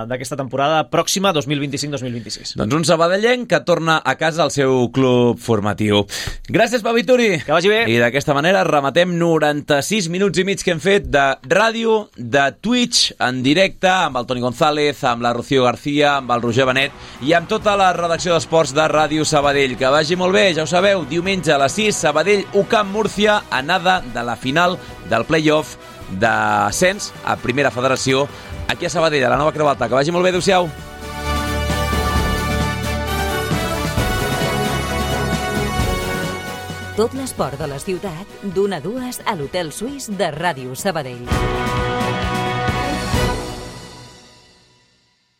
d'aquesta temporada pròxima 2025-2026. Doncs un sabadellenc que torna a casa al seu club formatiu. Gràcies, Pau Vituri. Que vagi bé. I d'aquesta manera rematem 96 minuts i mig que hem fet de ràdio, de Twitch, en directe, amb el Toni González, amb la Rocío García, amb el Roger Benet i amb tota la redacció d'esports de Ràdio Sabadell. Que vagi molt bé, ja ho sabeu, diumenge a les 6, Sabadell, UCAM Múrcia, a nada de la final del play-off d'ascens a Primera Federació aquí a Sabadell, a la Nova Creu Alta. Que vagi molt bé, adéu-siau. Tot l'esport de la ciutat, d'1 a 2 a l'Hotel Suís de Ràdio Sabadell.